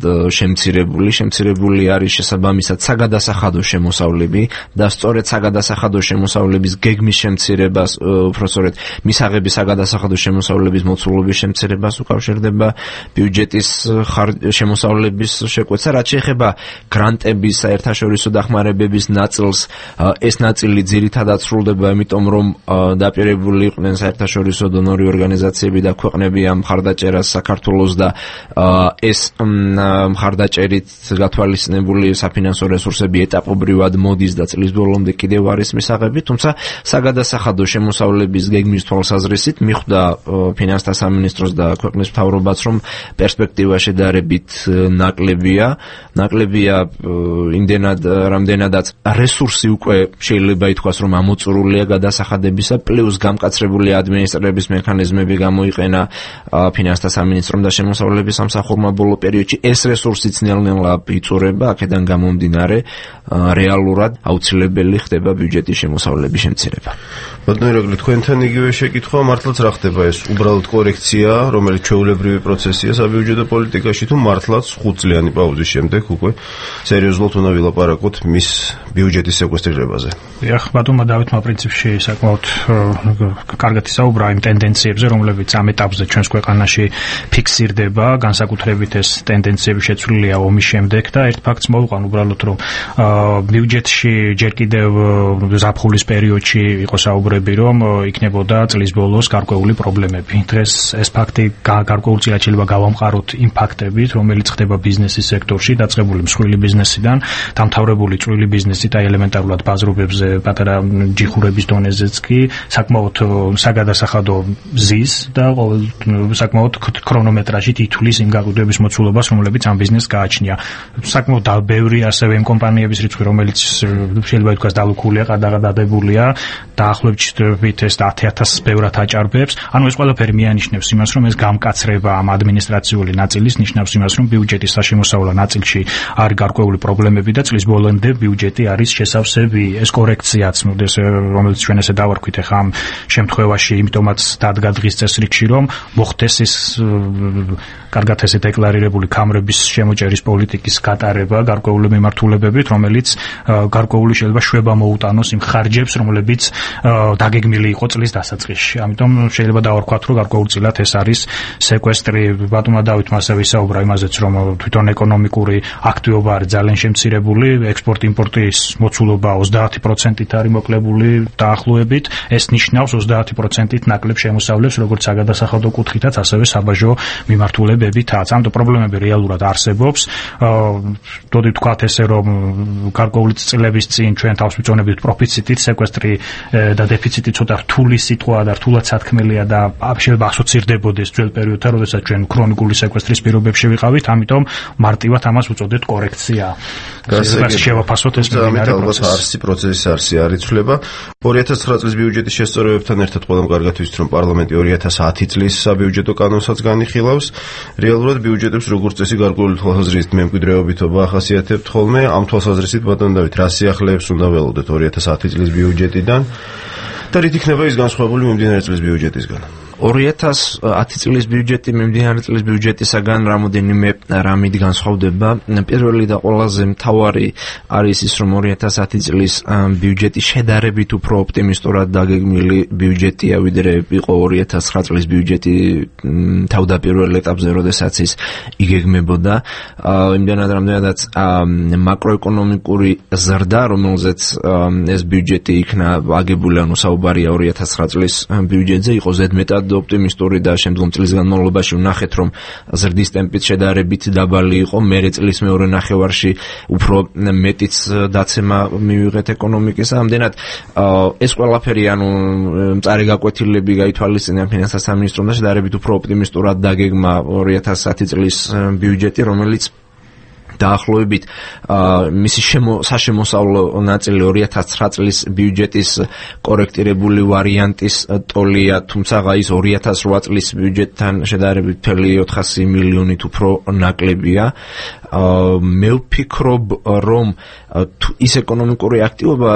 შემცირებული არის შესაბამისად საგადასახადო შემოსავლები და სწორედ საგადასახადო შემოსავლების გეგმის შემცირებას, უბრალოდ მისაღების საგადასახადო შემოსავლების მოცულობის შემცირებას უკავშირდება ბიუჯეტის შემოსავლების შეკვეთა. რაც შეეხება გრანტების საერთაშორისო დახმარებების ნაწილს, ეს ნაწილი ძირითადად სრულდება, იმიტომ რომ დაპირებული იყვნენ საერთაშორისო დონორი ორგანიზაციები და ქვეყნები ამ მხარდაჭერას საქართველოს და ეს მხარდაჭერით გათვალისწინებული საფინანსო რესურსები ეტაპობრივად მოდის და წლის ბოლომდე კიდევ არის მისაღები, თუმცა საგადასახადო შემოსავლების გეგმის თვალსაზრისით მიხვდა ფინანსთა სამინისტროს და ქვეყნის მთავრობაც, რომ პერსპექტივა შედარებით ნაკლებია იმდენად, რამდენადაც რესურსი უკვე შეიძლება ითქვას, რომ ამოწურულია გადასახადების პლუს გამკაცრებული ადმინისტრების მექანიზმები გამოიყენა ფინანსთა სამინისტრომ და შემოსავლების სამსახურმა ბოლო პერიოდში. ეს რესურსიც ნელ-ნელა იწურება, აქედან გამომდინარე რეალურად აუცილებელი ხდება ბიუჯეტის შემოსავლების შემცირება. ბატონო ირაკლი, თქვენთან იგივე შეკითხვა, მართლაც რა ხდება ეს? უბრალოდ კორექცია, რომელიც ჩვეულებრივი პროცესია საბიუჯეტო პოლიტიკაში, თუ მართლაც 5 წლიანი პაუზის შემდეგ უკვე სერიოზულად უნდა ვილაპარაკოთ მის ბიუჯეტის სეკვესტრირებაზე? დიახ, ბატონმა დავითმა პრინციპში საკმაოდ კარგად ისაუბრა იმ ტენდენციებზე, რომლებიც ამ ეტაპზე ჩვენს ქვეყანაში ფიქსირდება, განსაკუთრებით ეს ტენდენციები შეცვლილია ომის შემდეგ და ერთ ფაქტს მოვყვან უბრალოდ, რომ ბიუჯეტში ჯერ კიდევ ზაფხულის პერიოდში იყო საუბრები, რომ იქნებოდა წლის ბოლოს გარკვეული პრობლემები. დღეს ეს ფაქტი გარკვეულწილად შეიძლება გავამყაროთ იმ ფაქტებით, რომელიც ხდება ბიზნესის სექტორში, დაწყებული მსხვილი ბიზნესიდან, დამთავრებული წვრილი ბიზნესით, აი ელემენტარულად ბაზრობებზე, პატარა ჯიხურების დონეზეც კი საკმაოდ საგადასახადო ზის და საკმაოდ ქრონომეტრაჟით ითვლის იმ გაყიდვების მოცულობას, რომლებიც ამ ბიზნესს გააჩნია. საკმაოდ ბევრი ასევე იმ კომპანიების რიცხვი, რომელიც შეიძლება ითქვას დალუქულია, ყადაღადებულია, დაახლოებით ეს 10,000 ბევრად აჭარბებს. ანუ ეს ყველაფერი მიანიშნებს იმას, რომ ეს გამკაცრება ამ ადმინისტრაციული ნაწილის ნიშნავს იმას, რომ ბიუჯეტის საშემოსავლო ნაწილში არის გარკვეული პრობლემები და წლის ბოლომდე ბიუჯეტი არის შესავსები. ეს კორექციაც, რომელიც ჩვენ ესე დავარქვით ახლა ამ შემთხვევაში, იმიტომაც დადგა დღის წესრიგში, რომ მოხდეს ის კარგად ესე დეკლარირებული ქამრების შემოჭერის პოლიტიკის გატარება გარკვეული მიმართულებებით, რომელიც გარკვეული შეიძლება შვება მოუტანოს იმ ხარჯებს, რომლებიც დაგეგმილი იყო წლის დასაწყისში. ამიტომ შეიძლება დავარქვათ, რომ გარკვეულწილად ეს არის სეკვესტრი. ბატონმა დავითმა ასევე ისაუბრა იმაზეც, რომ თვითონ ეკონომიკური აქტივობა არის ძალიან შემცირებული, ექსპორტ-იმპორტის მოცულობა 30%-ით არის მოკლებული დაახლოებით. ეს ნიშნავს 30%-ით ნაკლებ შემოსავლებს, როგორც საგადასახადო კუთხითაც, ასევე საბაჟო მიმართულებებითაც. ამიტომ პრობლემები რეალურად არსებობს. დოდი ვთქვათ ესე, რომ გარკვეული წლების წინ ჩვენ თავს ვიწონებდით პროფიციტით, სეკვესტრი და დეფიციტი ცოტა რთული სიტყვა და რთულად სათქმელია და შეიძლება ასოცირდებოდეს ძველ პერიოდთან, როდესაც ჩვენ ქრონიკული სეკვესტრის პირობებში ვიყავით, ამიტომ მარტივად ამას უწოდეთ კორექცია. შევაფასოთ ეს მიმდინარე პროცესი. პროცესი არ იცვლება. 2009 წლის ბიუჯეტის შესწორებებთან ერთად ყველამ კარგად ვიცით, რომ პარლამენტი 2010 წლის საბიუჯეტო კანონსაც განიხილავს. რეალურად ბიუჯეტებს როგორც წესი გარკვეული თვალსაზრისით მემკვიდრეობითობა ახასიათებთ ხოლმე. ამ თვალსაზრისით ბატონ დავით, რა სიახლეებს უნდა ველოდეთ 2010 წლის ბიუჯეტიდან და რით იქნება ის განსხვავებული მიმდინარე წლის ბიუჯეტისგან? 2010 წლის ბიუჯეტი მიმდინარე წლის ბიუჯეტისაგან რამოდენიმე რამით განსხვავდება. პირველი და ყველაზე მთავარი არის ის, რომ 2010 წლის ბიუჯეტი შედარებით უფრო ოპტიმისტურად დაგეგმილი ბიუჯეტია, ვიდრე იყო 2009 წლის ბიუჯეტი თავდაპირველ ეტაპზე, როდესაც ის იგეგმებოდა. იმდენად მაკროეკონომიკური ზრდა, რომელზეც ეს ბიუჯეტი იქნა აგებული, ანუ საუბარია 2009 წლის ბიუჯეტზე, იყო ზედმეტად ოპტიმისტური და შემდგომ წლის განმავლობაში ვნახეთ, რომ ზრდის ტემპიც შედარებით დაბალი იყო. მერე წლის მეორე ნახევარში უფრო მეტიც დაცემა მივიღეთ ეკონომიკის. ამდენად ეს ყველაფერი, ანუ მწარე გაკვეთილები გაითვალისწინა ფინანსთა სამინისტრომ და შედარებით უფრო ოპტიმისტურად დაგეგმა 2010 წლის ბიუჯეტი, რომელიც დაახლოებით მისი საშემოსავლო ნაწილი 2009 წლის ბიუჯეტის კორექტირებული ვარიანტის ტოლია, თუმცა ის 2008 წლის ბიუჯეტთან შედარებით 400 მილიონით უფრო ნაკლებია. მე ვფიქრობ, რომ ის ეკონომიკური აქტივობა,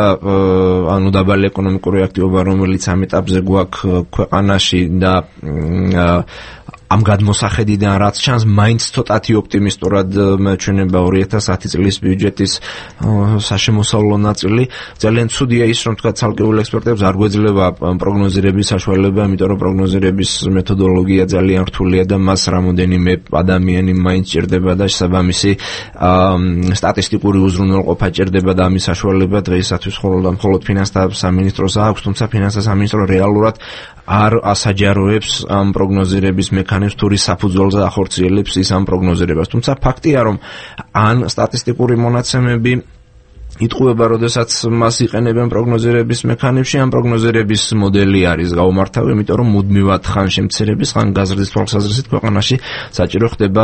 ანუ დაბალი ეკონომიკური აქტივობა, რომელიც ამ ეტაპზე გვაქვს ქვეყანაში და ამ გადმოსახედიდან რაც ჩანს, მაინც ცოტათი ოპტიმისტურად მეჩვენება 2010 წლის ბიუჯეტის საშემოსავლო ნაწილი. ძალიან ცუდია ის, რომ თქვა ცალკეულ ექსპერტებს არ გვეძლება პროგნოზირების საშუალება, იმიტომ რომ პროგნოზირების მეთოდოლოგია ძალიან რთულია და მას რამოდენიმე ადამიანი მაინც ჭირდება და შესაბამისი სტატისტიკური უზრუნველყოფა ჭირდება და ამის საშუალება დღეისათვის მხოლოდ ფინანსთა სამინისტროს აქვს, თუმცა ფინანსთა სამინისტრო რეალურად არ ასაჯაროებს ამ პროგნოზირების მექანიზმს, თუ რის საფუძველზე ახორციელებს ის ამ პროგნოზირებას. თუმცა ფაქტია, რომ ან სტატისტიკური მონაცემები იტყუება, როდესაც მას იყენებენ პროგნოზირების მექანიზმში, ამ პროგნოზირების მოდელი არის გაუმართავი, იმიტომ რომ მუდმივად ხან შემცირების, ხან გაზრდის თვალსაზრისით ქვეყანაში საჭირო ხდება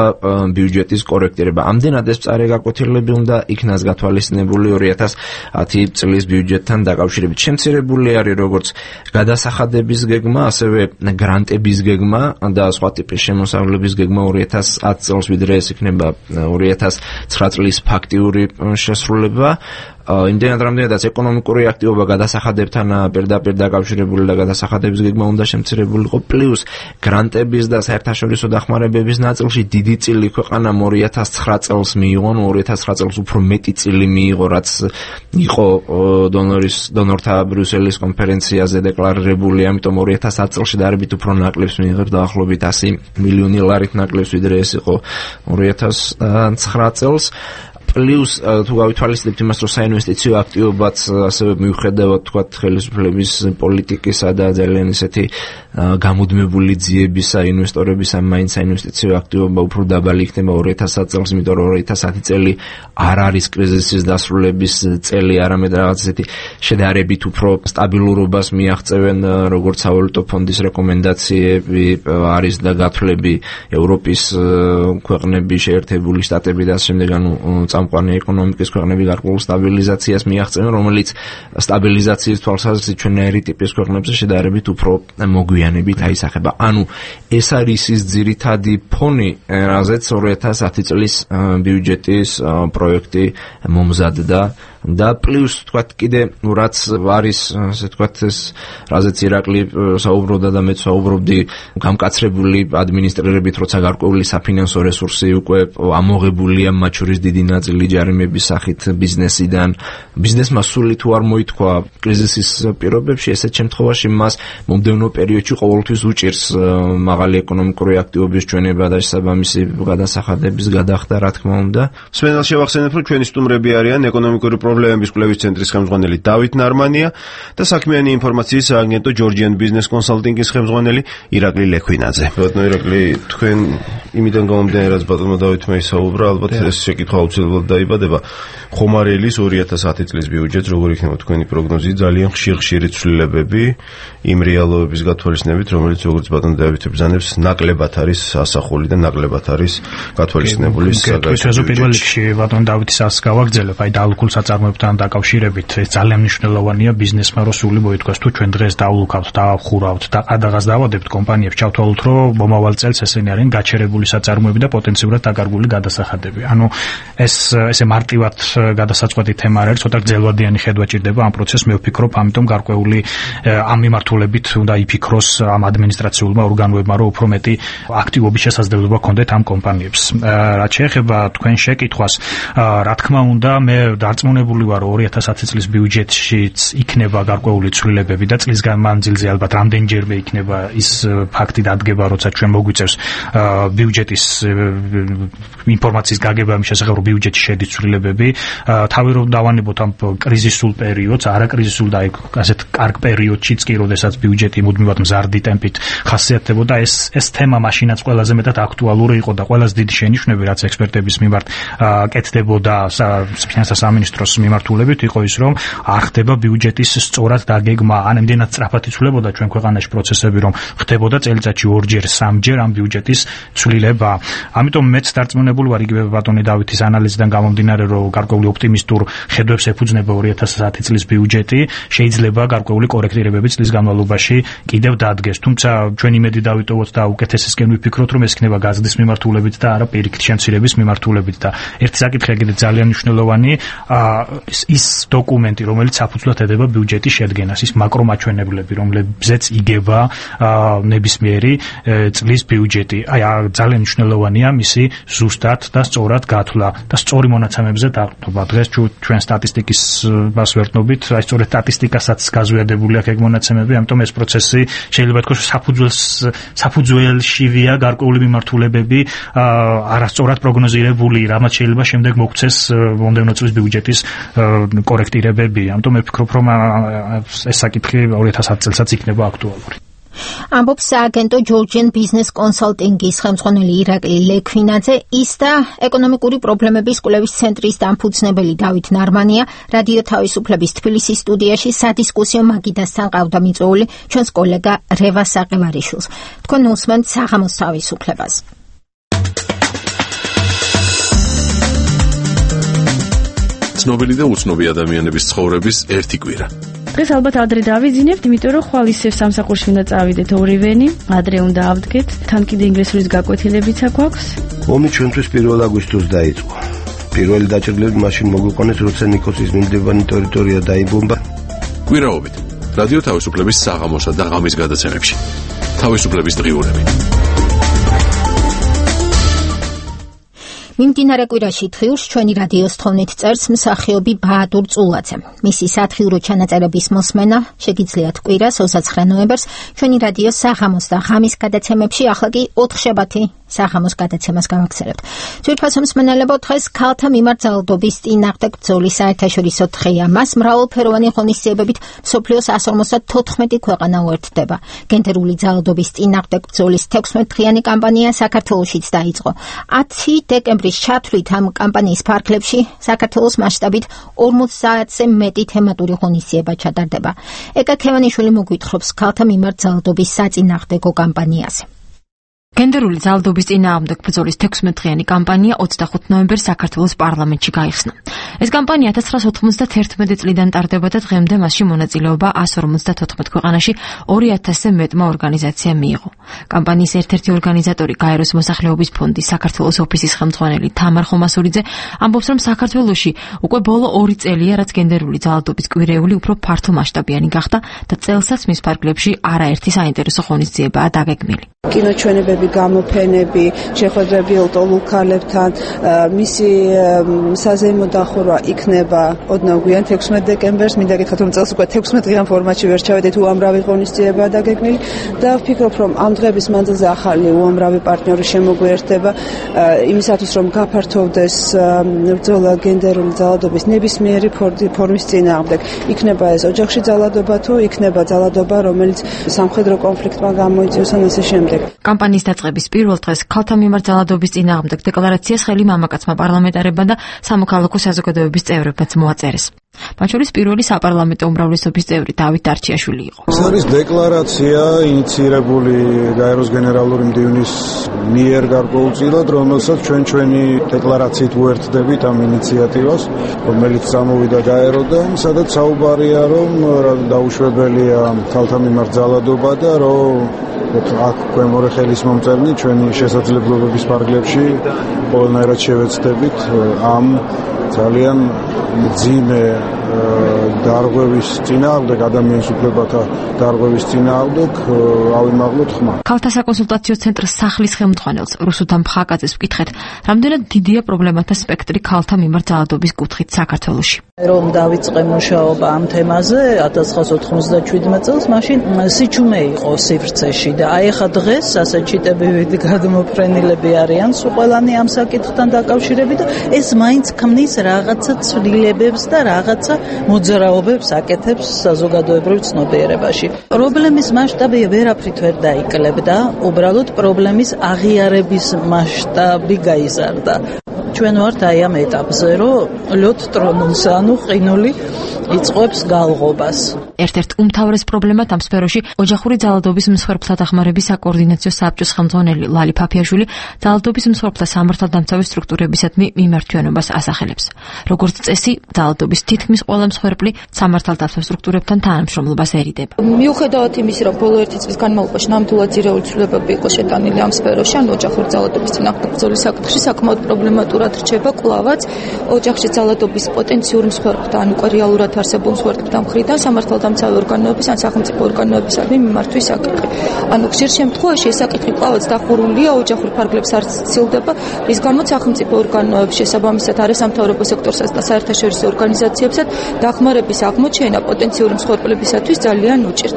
ბიუჯეტის კორექტირება. ამდენად ეს მწარე გაკვეთილები უნდა იქნას გათვალისწინებული 2010 წლის ბიუჯეტთან დაკავშირებით. შემცირებული არის როგორც გადასახადების გეგმა, ასევე გრანტების გეგმა და სხვა ტიპის შემოსავლების გეგმა 2010 წელს, ვიდრე ეს იქნება 2009 წლის ფაქტიური შესრულება. იმდენად რამდენადაც ეკონომიკური აქტივობა გადასახადებთან პირდაპირ დაკავშირებული და გადასახადების გეგმა უნდა შემცირებულიყო, პლუს გრანტების და საერთაშორისო დახმარებების ნაწილში დიდი წილი ქვეყანამ 2009 წელს მიიღო, 2009 წელს უფრო მეტი წილი მიიღო, რაც იყო დონორთა ბრიუსელის კონფერენციაზე დეკლარირებული, ამიტომ 2010 წელს შედარებით უფრო ნაკლებს მიიღებს, დაახლოებით 100 მილიონი ლარით ნაკლებს, ვიდრე ეს იყო 2009 წელს. პლუს თუ გავითვალისწინებთ იმას, რომ საინვესტიციო აქტივობაც ასევე მიუხედავად თქვათ ხელისუფლების პოლიტიკისა და ძალიან ისეთი გამუდმებული ძიებისა ინვესტორებისა, მაინც საინვესტიციო აქტივობა უფრო დაბალი იქნება 2010 წელს, იმიტომ რომ 2010 წელი არ არის კრიზისის დასრულების წელი, არამედ რაღაც ისეთი შედარებით უფრო სტაბილურობას მიაღწევენ, როგორც სავალუტო ფონდის რეკომენდაციები არის და გათვლები ევროპის ქვეყნები, შეერთებული შტატები და ასე შემდეგ, ანუ წამყვანი ეკონომიკის ქვეყნები გარკვეულ სტაბილიზაციას მიაღწევენ, რომელიც სტაბილიზაციის თვალსაზრისით ჩვენაირი ტიპის ქვეყნებზე შედარებით უფრო მოგვიანებით აისახება. ანუ ეს არის ის ძირითადი ფონი, რაზეც 2010 წლის ბიუჯეტის პროექტი მომზადდა და პლუს თქვათ კიდე რაც არის, ასე თქვათ, ეს რაზეც ირაკლი საუბრობდა და მეც საუბრობდი, გამკაცრებული ადმინისტრირებით, როცა გარკვეული საფინანსო რესურსი უკვე ამოღებულია, მათ შორის დიდი ნაწილი ჯარიმების სახით ბიზნესიდან. ბიზნესმა სული თუ არ მოითქვა კრიზისის პირობებში, ესეთ შემთხვევაში მას მომდევნო პერიოდში ყოველთვის უჭირს მაღალი ეკონომიკური აქტივობის ჩვენება და შესაბამისი გადასახადების გადახდა, რა თქმა უნდა. სვენელს შევახსენებ, რომ ჩვენი სტუმრები არიან ეკონომიკური პრობლემების კვლევის ცენტრის ხელმძღვანელი დავით ნარმანია და საქმიანი ინფორმაციის სააგენტო ჯორჯიან ბიზნეს კონსალტინგის ხელმძღვანელი ირაკლი ლექვინაძე. ბატონო ირაკლი, თქვენ იმიდან გამომდინარე, რაც ბატონმა დავითმა ისაუბრა, ალბათ ეს შეკითხვა აუცილებლად დაიბადება. ხომარელის 2010 წლის ბიუჯეტს როგორ იქნება თქვენი პროგნოზი? ძალიან ხშირი ცვლილებები იმ რეალობების გათვალისწინებით, რომელიც როგორც ბატონ დავითი ბრძანებს, ნაკლებად არის ასახული და ნაკლებად არის გათვალისწინებული. ეს პირველ რიგში ბატონ დავითის ას გავაგრძელებ, აი დალუქულ საწარმოო საწარმოებთან დაკავშირებით ეს ძალიან მნიშვნელოვანია ბიზნესმა რო სული მოითქვას თუ ჩვენ დღეს დავლუქავთ, დავხურავთ და ყადაღას დავადებთ კომპანიებს ჩავთვალოთ რომ მომავალ წელს ესენი არიან გაჩერებული საწარმოები და პოტენციურად დაკარგული გადასახადები. ანუ ესე მარტივად გადასაწყვეტი თემა არ არის, ცოტა გრძელვადიანი ხედვა ჭირდება ამ პროცესს. მე ვფიქრობ, ამიტომ გარკვეული ამ მიმართულებით უნდა იფიქროს ამ ადმინისტრაციულმა ორგანოებმა, რომ უფრო მეტი აქტივობის შესაძლებლობა ჰქონდეთ ამ კომპანიებს. რაც შეეხება თქვენ შეკითხვას, რა თქმა უნდა, მე დარწმუნებული ვარ, რომ 2010 წლის ბიუჯეტშიც იქნება გარკვეული ცვლილებები და წლის განმავლობაში ალბათ რამდენჯერმე იქნება ის ფაქტი დადგება, როცა ჩვენ მოგვიწევს ბიუჯეტის ინფორმაციის გაგება ამ შესახებ, რომ ბიუჯეტში შედის ცვლილებები. თავი რომ დავანებოთ ამ კრიზისულ პერიოდს, არაკრიზისულ და ასეთ კარგ პერიოდშიც კი, როდესაც ბიუჯეტი მუდმივად მზარდი ტემპით ხასიათდებოდა, ეს თემა მაშინაც ყველაზე მეტად აქტუალური იყო და ყველაზე დიდი შენიშვნები, რაც ექსპერტების მიმართ კეთდებოდა ფინანსთა სამინისტროს მიმართულებით, იყო ის, რომ არ ხდება ბიუჯეტის სწორად დაგეგმა, ან ამდენად სწრაფად იცვლებოდა ჩვენ ქვეყანაში პროცესები, რომ ხდებოდა წელიწადში 2-ჯერ, 3-ჯერ ამ ბიუჯეტის ცვლილება. ამიტომ მეც დარწმუნებული ვარ იგივე ბატონი დავითის ანალიზიდან გამომდინარე, რომ გარკვეული ოპტიმისტურ ხედვებს ეფუძნება 2010 წლის ბიუჯეტი, შეიძლება გარკვეული კორექტირებები წლის განმავლობაში კიდევ დადგეს. თუმცა ჩვენ იმედი დავიტოვოთ და უკეთესისკენ ვიფიქროთ, რომ ეს იქნება გაზრდის მიმართულებით და არა პირიქით შემცირების მიმართულებით. და ერთი საკითხი კიდევ ძალიან მნიშვნელოვანი, ის დოკუმენტი, რომელიც საფუძვლად ედება ბიუჯეტის შედგენას, ის მაკრომაჩვენებლები, რომლებზეც იგება ნებისმიერი წლის ბიუჯეტი. ძალიან მნიშვნელოვანია მისი ზუსტად და სწორად გათვლა და სწორი მონაცემებზე დაყრდნობა. დღეს ჩვენ სტატისტიკის მას ვერტნობით, სწორედ სტატისტიკასაც გაზვიადებული აქვს ეგ მონაცემები, ამიტომ ეს პროცესი შეიძლება ითქვას საფუძველშივია გარკვეული მიმართულებები არასწორად პროგნოზირებული, რამაც შეიძლება შემდეგ მოგვცეს მომდევნო წლის ბიუჯეტის კორექტირებები. ამიტომ მე ვფიქრობ, რომ ეს საკითხი 2010 წელსაც იქნება აქტუალური. ამბობს სააგენტო Georgian Business Consulting-ის ხელმძღვანელი ირაკლი ლექვინაძე, ის და ეკონომიკური პრობლემების კვლევის ცენტრის დამფუძნებელი დავით ნარმანია რადიო თავისუფლების თბილისის სტუდიაში სადისკუსიო მაგიდასთან ყავდა მიწვეული ჩვენს კოლეგა რევა საყევარიშვილს. თქვენ უსმენთ საღამოს თავისუფლებას. ცნობილი და უცნობი ადამიანების ცხოვრების ერთი კვირა. დღეს ალბათ ადრე დავიძინებთ, იმიტომ რომ ხვალ ისევ სამსახურში უნდა წავიდეთ ორივენი, ადრე უნდა ავდგეთ, თან კიდე ინგლისურის გაკვეთილებიც აქვს. ომი ჩვენთვის 1 აგვისტოს დაიწყო. პირველი დაჭრილები მაშინ მოგვიყვანეს, როცა ნიკოსის მინდებანი ტერიტორია დაიბომბა. კვირაობით რადიო თავისუფლების საღამოსა და ღამის გადაცემებში. თავისუფლების დღიურები. მიმდინარე კვირაში დღიურს ჩვენი რადიოს თხოვნით წერს მსახიობი ბაადურ წულაძე. მისი სათხიურო ჩანაწერების მოსმენა შეგიძლიათ კვირას 29 ნოემბერს ჩვენი რადიოს საღამოს და ღამის გადაცემებში, ახლა კი 4 შაბათი საღამოს გადაცემას გავაგზავნებთ. ძვირფასო მსმენელებო, დღეს ქალთა მიმართ ძალადობის წინააღმდეგ ბრძოლის საერთაშორისო დღეა. მას მრავალფეროვანი ღონისძიებებით მსოფლიოს 154 ქვეყანა უერთდება. გენდერული ძალადობის წინააღმდეგ ბრძოლის 16-დღიანი კამპანია საქართველოშიც დაიწყო. 10 დეკემბრის ჩათვლით ამ კამპანიის ფარგლებში საქართველოს მასშტაბით 50-ზე მეტი თემატური ღონისძიება ჩატარდება. ეკა ქევანიშვილი მოგვითხრობს ქალთა მიმართ ძალადობის საწინააღმდეგო კამპანიაზე. გენდერული ძალადობის წინააღმდეგ ბრძოლის 16-დღიანი კამპანია 25 ნოემბერს საქართველოს პარლამენტში გაიხსნა. ეს კამპანია 1991 წლიდან ტარდება და დღემდე მასში მონაწილეობა 154 ქვეყანაში 2000-ზე მეტმა ორგანიზაციამ მიიღო. კამპანიის ერთ-ერთი ორგანიზატორი გაეროს მოსახლეობის ფონდის საქართველოს ოფისის ხელმძღვანელი თამარ ხომასურიძე ამბობს, რომ საქართველოში უკვე ბოლო 2 წელია, რაც გენდერული ძალადობის კვირეული უფრო ფართომასშტაბიანი გახდა და წელსაც მის ფარგლებში არაერთი საინტერესო ღონისძიებაა დაგეგმილი. კინოჩვენებები, გამოფენები, შეხვედრები ლტოლულ ქალებთან, მისი საზეიმო დახურვა იქნება ოდნავ გვიან 16 დეკემბერს. მინდა გითხრათ, რომ წელს უკვე 16 დღიან ფორმატში ვერ ჩავედით, უამრავი ღონისძიებაა დაგეგმილი და ვფიქრობ, რომ ამ დღების მანძილზე ახალი უამრავი პარტნიორი შემოგვიერთდება იმისათვის, რომ გაფართოვდეს ბრძოლა გენდერული ძალადობის ნებისმიერი ფორმის წინააღმდეგ. იქნება ეს ოჯახში ძალადობა თუ იქნება ძალადობა, რომელიც სამხედრო კონფლიქტმა გამოიწვიოს ან ასე შემდეგ. კამპანიის დაწყების პირველ დღეს ქალთა მიმართ ძალადობის წინააღმდეგ დეკლარაციას ხელი მამაკაცმა პარლამენტარებმა და სამოქალაქო საზოგადოების წევრებმაც მოაწერეს. მათ შორის პირველი საპარლამენტო უმრავლესობის წევრი დავით დარჩიაშვილი იყო. ეს არის დეკლარაცია ინიცირებული გაეროს გენერალური მდივნის მიერ გარკვეულწილად, რომელსაც ჩვენი დეკლარაციით უერთდებით ამ ინიციატივას, რომელიც წამოვიდა გაეროდან, სადაც საუბარია, რომ დაუშვებელია ქალთა მიმართ ძალადობა და რომ აქ ქვემორე ხელის მომწერნი ჩვენი შესაძლებლობების ფარგლებში ყველანაირად შევეცდებით ამ ძალიან მძიმე დარღვევის წინააღმდეგ, ადამიანის უფლებათა დარღვევის წინააღმდეგ ავიმაღლოთ ხმა. ქალთა საკონსულტაციო ცენტრის სახლის ხელმძღვანელს რუსუდან ფხაკაძეს ვკითხეთ, რამდენად დიდია პრობლემათა სპექტრი ქალთა მიმართ ძალადობის კუთხით საქართველოში. რომ დავიწყე მუშაობა ამ თემაზე 1997 წელს, მაშინ სიჩუმე იყო სივრცეში და აი ახლა დღეს ასეთი ტიპები გადმოფრენილები არიან სულ ყველანი ამ საკითხთან დაკავშირებით და ეს მაინც ქმნის რაღაცა ცვლილებებს და რაღაცა მოძრაობებს აკეთებს საზოგადოებრივ ცნობიერებაში. პრობლემის მასშტაბი ვერაფრით ვერ დაიკლებდა, უბრალოდ პრობლემის აღიარების მასშტაბი გაიზარდა. ჩვენ ვართ აი ამ ეტაპზე, რომ ლოთ ტრონულს, ანუ ყინული იწყებს გალღობას. ერთ-ერთ უმთავრეს პრობლემად ამ სფეროში ოჯახური ძალადობის მსხვერპლთა დახმარების საკოორდინაციო საბჭოს ხელმძღვანელი ლალი ფაფიაშვილი ძალადობის მსხვერპლთა სამართალდამცავი სტრუქტურებისადმი მიმართვიანობას ასახელებს. როგორც წესი, ძალადობის თითქმის ყველა მსხვერპლი სამართალდამცავ სტრუქტურებთან თანამშრომლობას ერიდება. მიუხედავად იმისა, რომ ბოლო 1 წლის განმავლობაში ნამდვილად ძირეული ცვლილებები იყო შეტანილი ამ სფეროში, ან ოჯახური ძალადობის წინააღმდეგ ბრძოლის საკითხში საკმაოდ პრობლემატურად რჩება კვლავაც ოჯახში ძალადობის პოტენციური მსხვერპლთა, ან უკვე რეალურად არსებულ მსხვერპლთა მხრიდან სამართალდამცავი ორგანოების ან სახელმწიფო ორგანოებისადმი მიმართვის საკითხი. ანუ ხშირ შემთხვევაში ეს საკითხი კვლავაც დახურულია ოჯახურ ფარგლებს არ ცდილდება, რის გამოც სახელმწიფო ორგანოების შესაბამისად არასამთავრობო სექტორსაც და საერთაშორისო ორგანიზაციებსაც დახმარების აღმოჩენა პოტენციური მსხვერპლებისათვის ძალიან უჭირთ.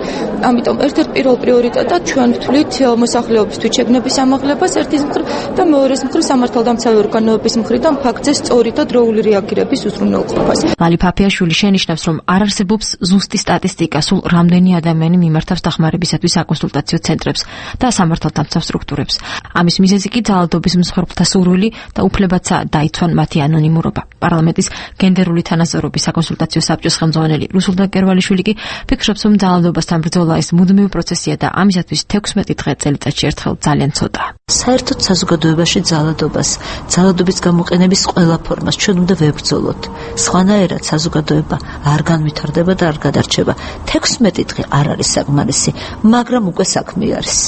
ამიტომ ერთ-ერთ პირველ პრიორიტეტად ჩვენ ვთვლით მოსახლეობის თვითშეგნების ამაღლებას ერთის მხრივ და მეორეს მხრივ სამართალდამცავი ორგანოების მხრიდან ფაქტზე სწორი და დროული რეაგირების უზრუნველყოფას. ლალი ფაფიაშვილი შენიშნავს, რომ არ არსებობს ზუსტი სტატისტიკა სულ რამდენი ადამიანი მიმართავს დახმარებისათვის საკონსულტაციო ცენტრებს და სამართალდამცავ სტრუქტურებს. ამის მიზეზი კი ძალადობის მსხვერპლთა სურვილი და უფლებაცა დაიცვან მათი ანონიმურობა. პარლამენტის გენდერული თანასწორობის საკონსულტაციო საბჭოს ხელმძღვანელი რუსულდან კერვალიშვილი კი ფიქრობს, რომ ძალადობასთან ბრძოლა ეს მუდმივი პროცესია და ამისათვის 16 დღე წელიწადში ერთხელ ძალიან ცოტაა. საერთოდ საზოგადოებაში ძალადობის გამოყენების ყველა ფორმას ჩვენ უნდა ვებრძოლოთ. სხვანაირად საზოგადოება არ განვითარდება და არ გადარჩება. 16 დღე არ არის საკმარისი, მაგრამ უკვე საქმე არის.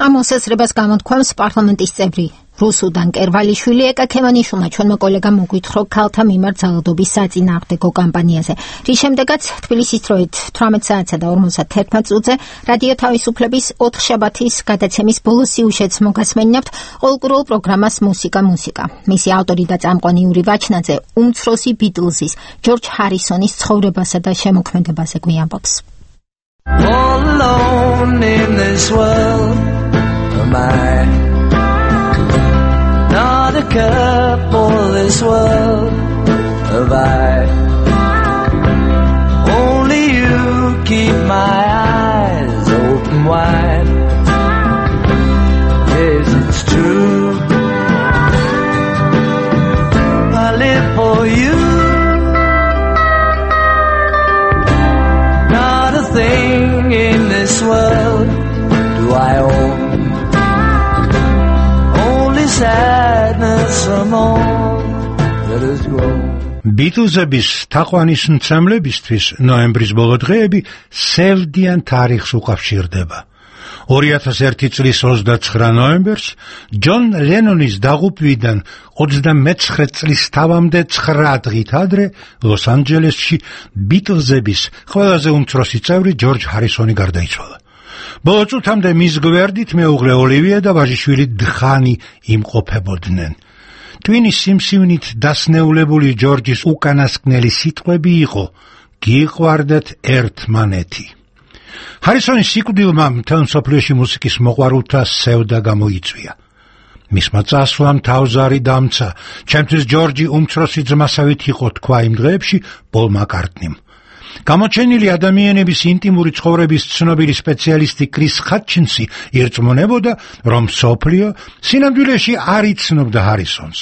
ამ მოსაზრებას გამოთქვამს პარლამენტის წევრი რუსუდან კერვალიშვილი. ეკა ქემანიშვილმა ჩვენმა კოლეგამ მოგვითხრა ქალთა მიმართ ძალადობის საწინააღმდეგო კამპანიაზე, რის შემდეგაც თბილისის დროით 18 საათსა და 51 წუთზე რადიო თავისუფლების 4 შაბათის გადაცემის ბოლო სიუჟეტს მოგასმენინებთ ყოველკვირეულ პროგრამას მუსიკა. მისი ავტორი და წამყვანი იური ვაჩნაძე უმცროსი ბიტლზის ჯორჯ ჰარისონის ცხოვრებასა და შემოქმედებაზე გვიამბობს. All alone in this world am I, not a cup for this world have I, only you keep my eyes open wide. Yes, it's true, I live for you. Not a thing in this world do I own, only sadness from all that has grown. ბიტლზების თაყვანის მცემლებისთვის ნოემბრის ბოლო დღეები სევდიან თარიღს უკავშირდება. 2001 წლის 29 ნოემბერს ჯონ ლენონის დაღუპვიდან 29 წლის თავამდე 9 დღით ადრე ლოს-ანჯელესში ბიტლზების ყველაზე უმცროსი წევრი ჯორჯ ჰარისონი გარდაიცვალა. ბოლო წუთამდე მის გვერდით მეუღლე ოლივია და ვაჟიშვილი დხანი იმყოფებოდნენ. ტვინის სიმსივნით დასნეულებული ჯორჯის უკანასკნელი სიტყვები იყო: გიყვარდეთ ერთმანეთი. ჰარისონის სიკვდილმა მთელ მსოფლიოში მუსიკის მოყვარულთა სევდა გამოიწვია. მისმა წასვლამ თავზარი დამცა, ჩემთვის ჯორჯი უმცროსი ძმასავით იყო, თქვა იმ დღეებში პოლ მაკარტნიმ. გამოჩენილი ადამიანების ინტიმური ცხოვრების ცნობილი სპეციალისტი კრის ჰატჩინსი ირწმუნებოდა, რომ მსოფლიო სინამდვილეში არ იცნობდა ჰარისონს.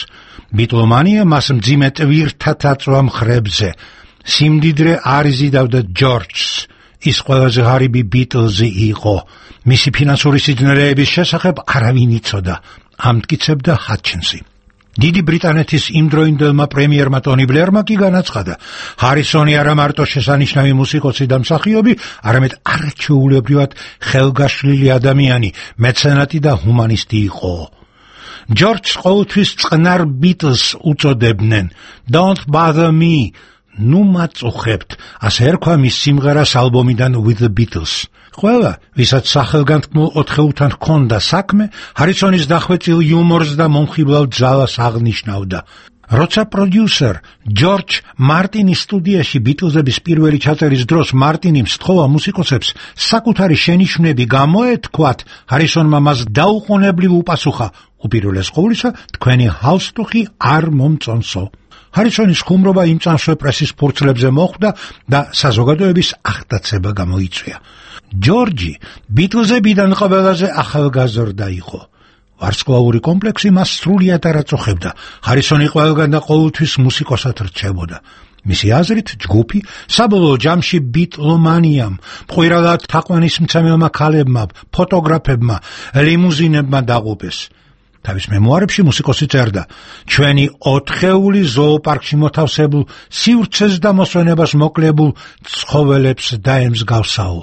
ბიტლომანია მას მძიმე ტვირთად აწვა მხრებზე. სიმდიდრე არ იზიდავდა ჯორჯს, ის ყველაზე ღარიბი ბიტლზი იყო. მისი ფინანსური სიძნელეების შესახებ არავინ იცოდა, ამტკიცებდა ჰატჩინსი. დიდი ბრიტანეთის იმდროინდელმა პრემიერმა ტონი ბლერმა კი განაცხადა, ჰარისონი არა მარტო შესანიშნავი მუსიკოსი და მსახიობი, არამედ არაჩვეულებრივად ხელგაშლილი ადამიანი, მეცენატი და ჰუმანისტი იყო. ჯორჯს ყოველთვის წყნარ ბიტლს უწოდებდნენ. Don't bother me. ნუ მაწუხებთ, ასე ერქვა მის სიმღერას ალბომიდან With the Beatles. ყველა, ვისაც სახელგანთქმულ ოთხეულთან ჰქონდა საქმე, ჰარისონის დახვეწილ იუმორს და მომხიბლავ ძალას აღნიშნავდა. როცა პროდიუსერ ჯორჯ მარტინის სტუდიაში ბიტლზების პირველი ჩაწერის დროს მარტინი სთხოვა მუსიკოსებს საკუთარი შენიშვნები გამოეთქვათ, ჰარისონმა მას დაუყოვნებლივ უპასუხა, უპირველეს ყოვლისა, თქვენი ჰალსტუხი არ მომწონსო. ჰარისონის ხუმრობა იმ წამსვე პრესის ფურცლებზე მოხვდა და საზოგადოების აღტაცება გამოიწვია. ჯორჯი ბიტლზებიდან ყველაზე ახალგაზრდა იყო. ვარსკვლავური კომპლექსი მას სრულიად არ აწუხებდა. ჰარისონი ყველგან და ყოველთვის მუსიკოსად რჩებოდა. მისი აზრით, ჯგუფი საბოლოო ჯამში ბიტლომანიამ, მყვირადად თაყვანისმცემელმა ქალებმა, ფოტოგრაფებმა, ლიმუზინებმა დაღუპეს. თავის მემუარებში მუსიკოსი წერდა, ჩვენი ოთხეული ზოოპარკში მოთავსებულ სივრცეს და მოსვენებას მოკლებულ ცხოველებს დაემსგავსაო.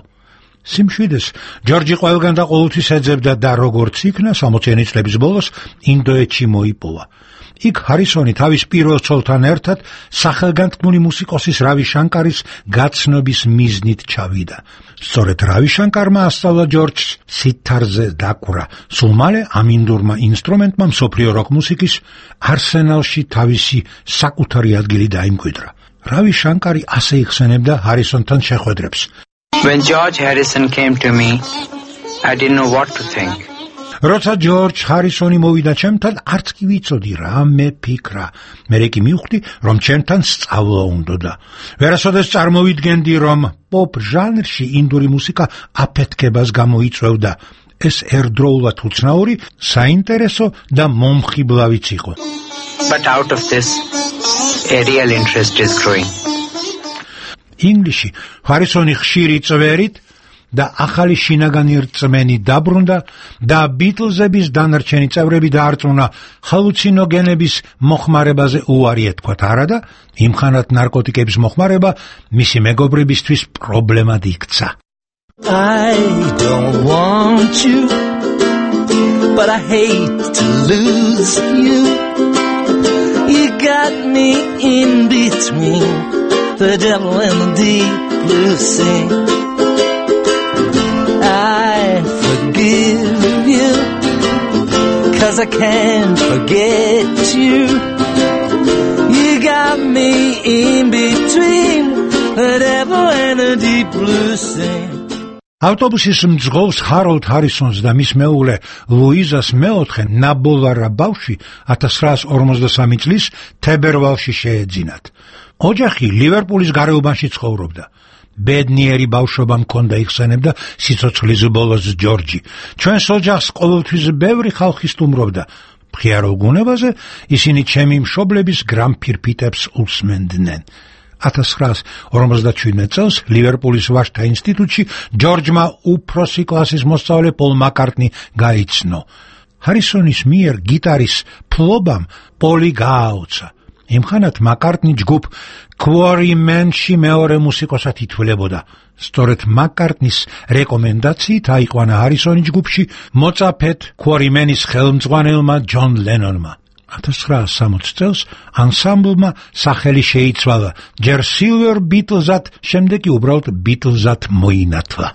სიმშვიდეს, ჯორჯი ყველგან და ყოველთვის ეძებდა და როგორც იქნა, 60-იანი წლების ბოლოს ინდოეთში მოიპოვა. იქ ჰარისონი თავის პირველ ცოლთან ერთად სახელგანთქმული მუსიკოსის რავი შანკარის გაცნობის მიზნით ჩავიდა. სწორედ რავი შანკარმა ასწავლა ჯორჯს სითარზე დაკვრა. სულ მალე ამ ინდურმა ინსტრუმენტმა მსოფლიო როკ მუსიკის არსენალში თავისი საკუთარი ადგილი დაიმკვიდრა. რავი შანკარი ასე იხსენებდა ჰარისონთან შეხვედრებს. When George Harrison came to me, I didn't know what to think. როცა ჯორჯ ჰარისონი მოვიდა ჩემთან, არც კი ვიცოდი რა მეფიქრა. მერე კი მივხვდი, რომ ჩემთან სწავლა უნდოდა. ვერასოდეს წარმოვიდგენდი, რომ პოპ ჟანრში ინდური მუსიკა აფეთქებას გამოიწვევდა. ეს ერთდროულად უცნაური, საინტერესო და მომხიბლავიც იყო. But out of this, a real interest is growing. ინგლისში ჰარისონი ხშირი წვერით და ახალი შინაგანი რწმენი დაბრუნდა და ბიტლზების დანარჩენი წევრები დაარწმუნა ჰალუცინოგენების მოხმარებაზე უარი ეთქვათ, არა და იმხანად ნარკოტიკების მოხმარება მისი მეგობრებისთვის პრობლემად იქცა. I don't want you, but I hate to lose you. You got me in between the devil and the deep blue sea. I forgive you, 'cause I can't forget you. You got me in between the devil and the deep blue sea. ავტობუსის მძღოლს ჰაროლდ ჰარისონს და მის მეუღლე ლუიზას მეოთხე ნაბოლარა ბავშვი 1953 წლის თებერვალში შეეძინათ. ოჯახი ლივერპულის გარეუბანში ცხოვრობდა. ბედნიერი ბავშვობა მქონდა, იხსენებდა სიცოცხლის ბოლოს ჯორჯი. ჩვენს ოჯახს ყოველთვის ბევრი ხალხი სტუმრობდა. მხიარულ გუნებაზე ისინი ჩემი მშობლების გრამფირფიტებს უსმენდნენ. 1957 წელს ლივერპულის ვაჟთა ინსტიტუტში ჯორჯმა უფროსი კლასის მოსწავლე პოლ მაკარტნი გაიცნო. ჰარისონის მიერ გიტარის ფლობამ პოლი გააოცა. იმხანად მაკარტნი ჯგუფ Quarrymen-ში მეორე მუსიკოსად ითვლებოდა. სწორედ მაკარტნის რეკომენდაციით აიყვანა ჰარისონი ჯგუფში მოწაფედ Quarrymen-ის ხელმძღვანელმა ჯონ ლენონმა. 1960 წელს ანსამბლმა სახელი შეიცვალა ჯერ Silver Beatles-ად, შემდეგ კი უბრალოდ Beatles-ად მოინათლა.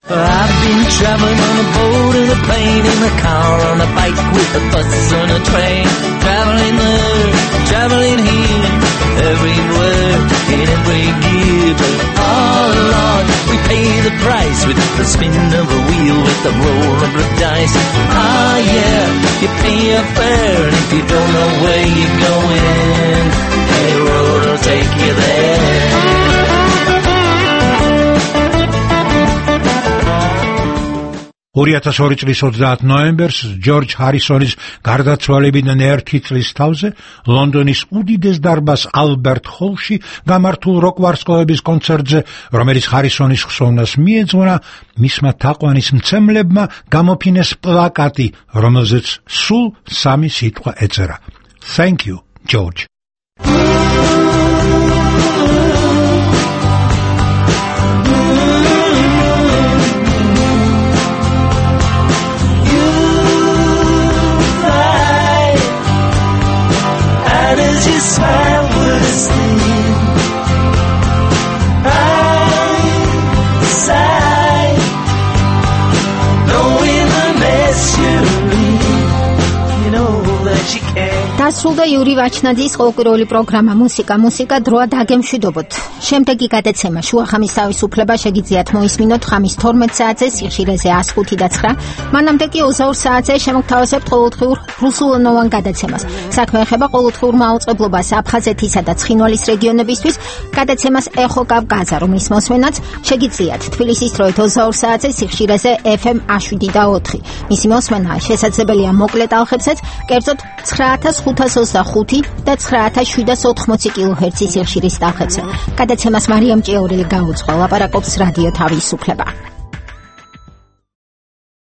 I've been traveling on a boat, in a plane, in a car, on a bike, with a bus, on a train. Traveling there, traveling here, everywhere, in every gear. But oh Lord, we pay the price with the spin of a wheel, with the roll of the dice. Ah yeah, you pay your fare, and if you don't know where you're going, any road will take you there. 2002 წლის 30 ნოემბერს ჯორჯ ჰარისონის გარდაცვალებიდან 1 წლის თავზე ლონდონის უდიდეს დარბაზ ალბერტ ჰოლში გამართულ როკ-ვარსკვლავების კონცერტზე, რომელიც ჰარისონის ხსოვნას მიეძღვნა, მისმა თაყვანისმცემლებმა გამოფინეს პლაკატი, რომელზეც სულ 3 სიტყვა ეწერა: Thank you, George. დასრულდა იური ვაჩნაძის ყოველკვირეული პროგრამა მუსიკა დროა დაგემშვიდობოთ. შემდეგი გადაცემა შუახამის თავისუფლება შეგიძლიათ მოისმინოთ ხამის 12 საათზე სიხშირეზე 105.9. მანამდე კი 22 საათზე შემოგთავაზებთ ყოველდღიურ რუსულენოვან გადაცემას. საქმე ეხება ყოველდღიურ მაუწყებლობას აფხაზეთისა და ცხინვალის რეგიონებისთვის. გადაცემას ეხო კავკაზა, რომლის მოსმენაც შეგიძლიათ თბილისის დროით 22 საათზე სიხშირეზე FM 7.4. მისი მოსმენა შესაძლებელია მოკლე ტალღებსაც, კერძოდ 9525 და 9780 კილოჰერცის სიხშირის ტალღებზე. გადაცემას მარიამ ჭიაურელი გაუძღვა, ლაპარაკობს რადიო თავისუფლება.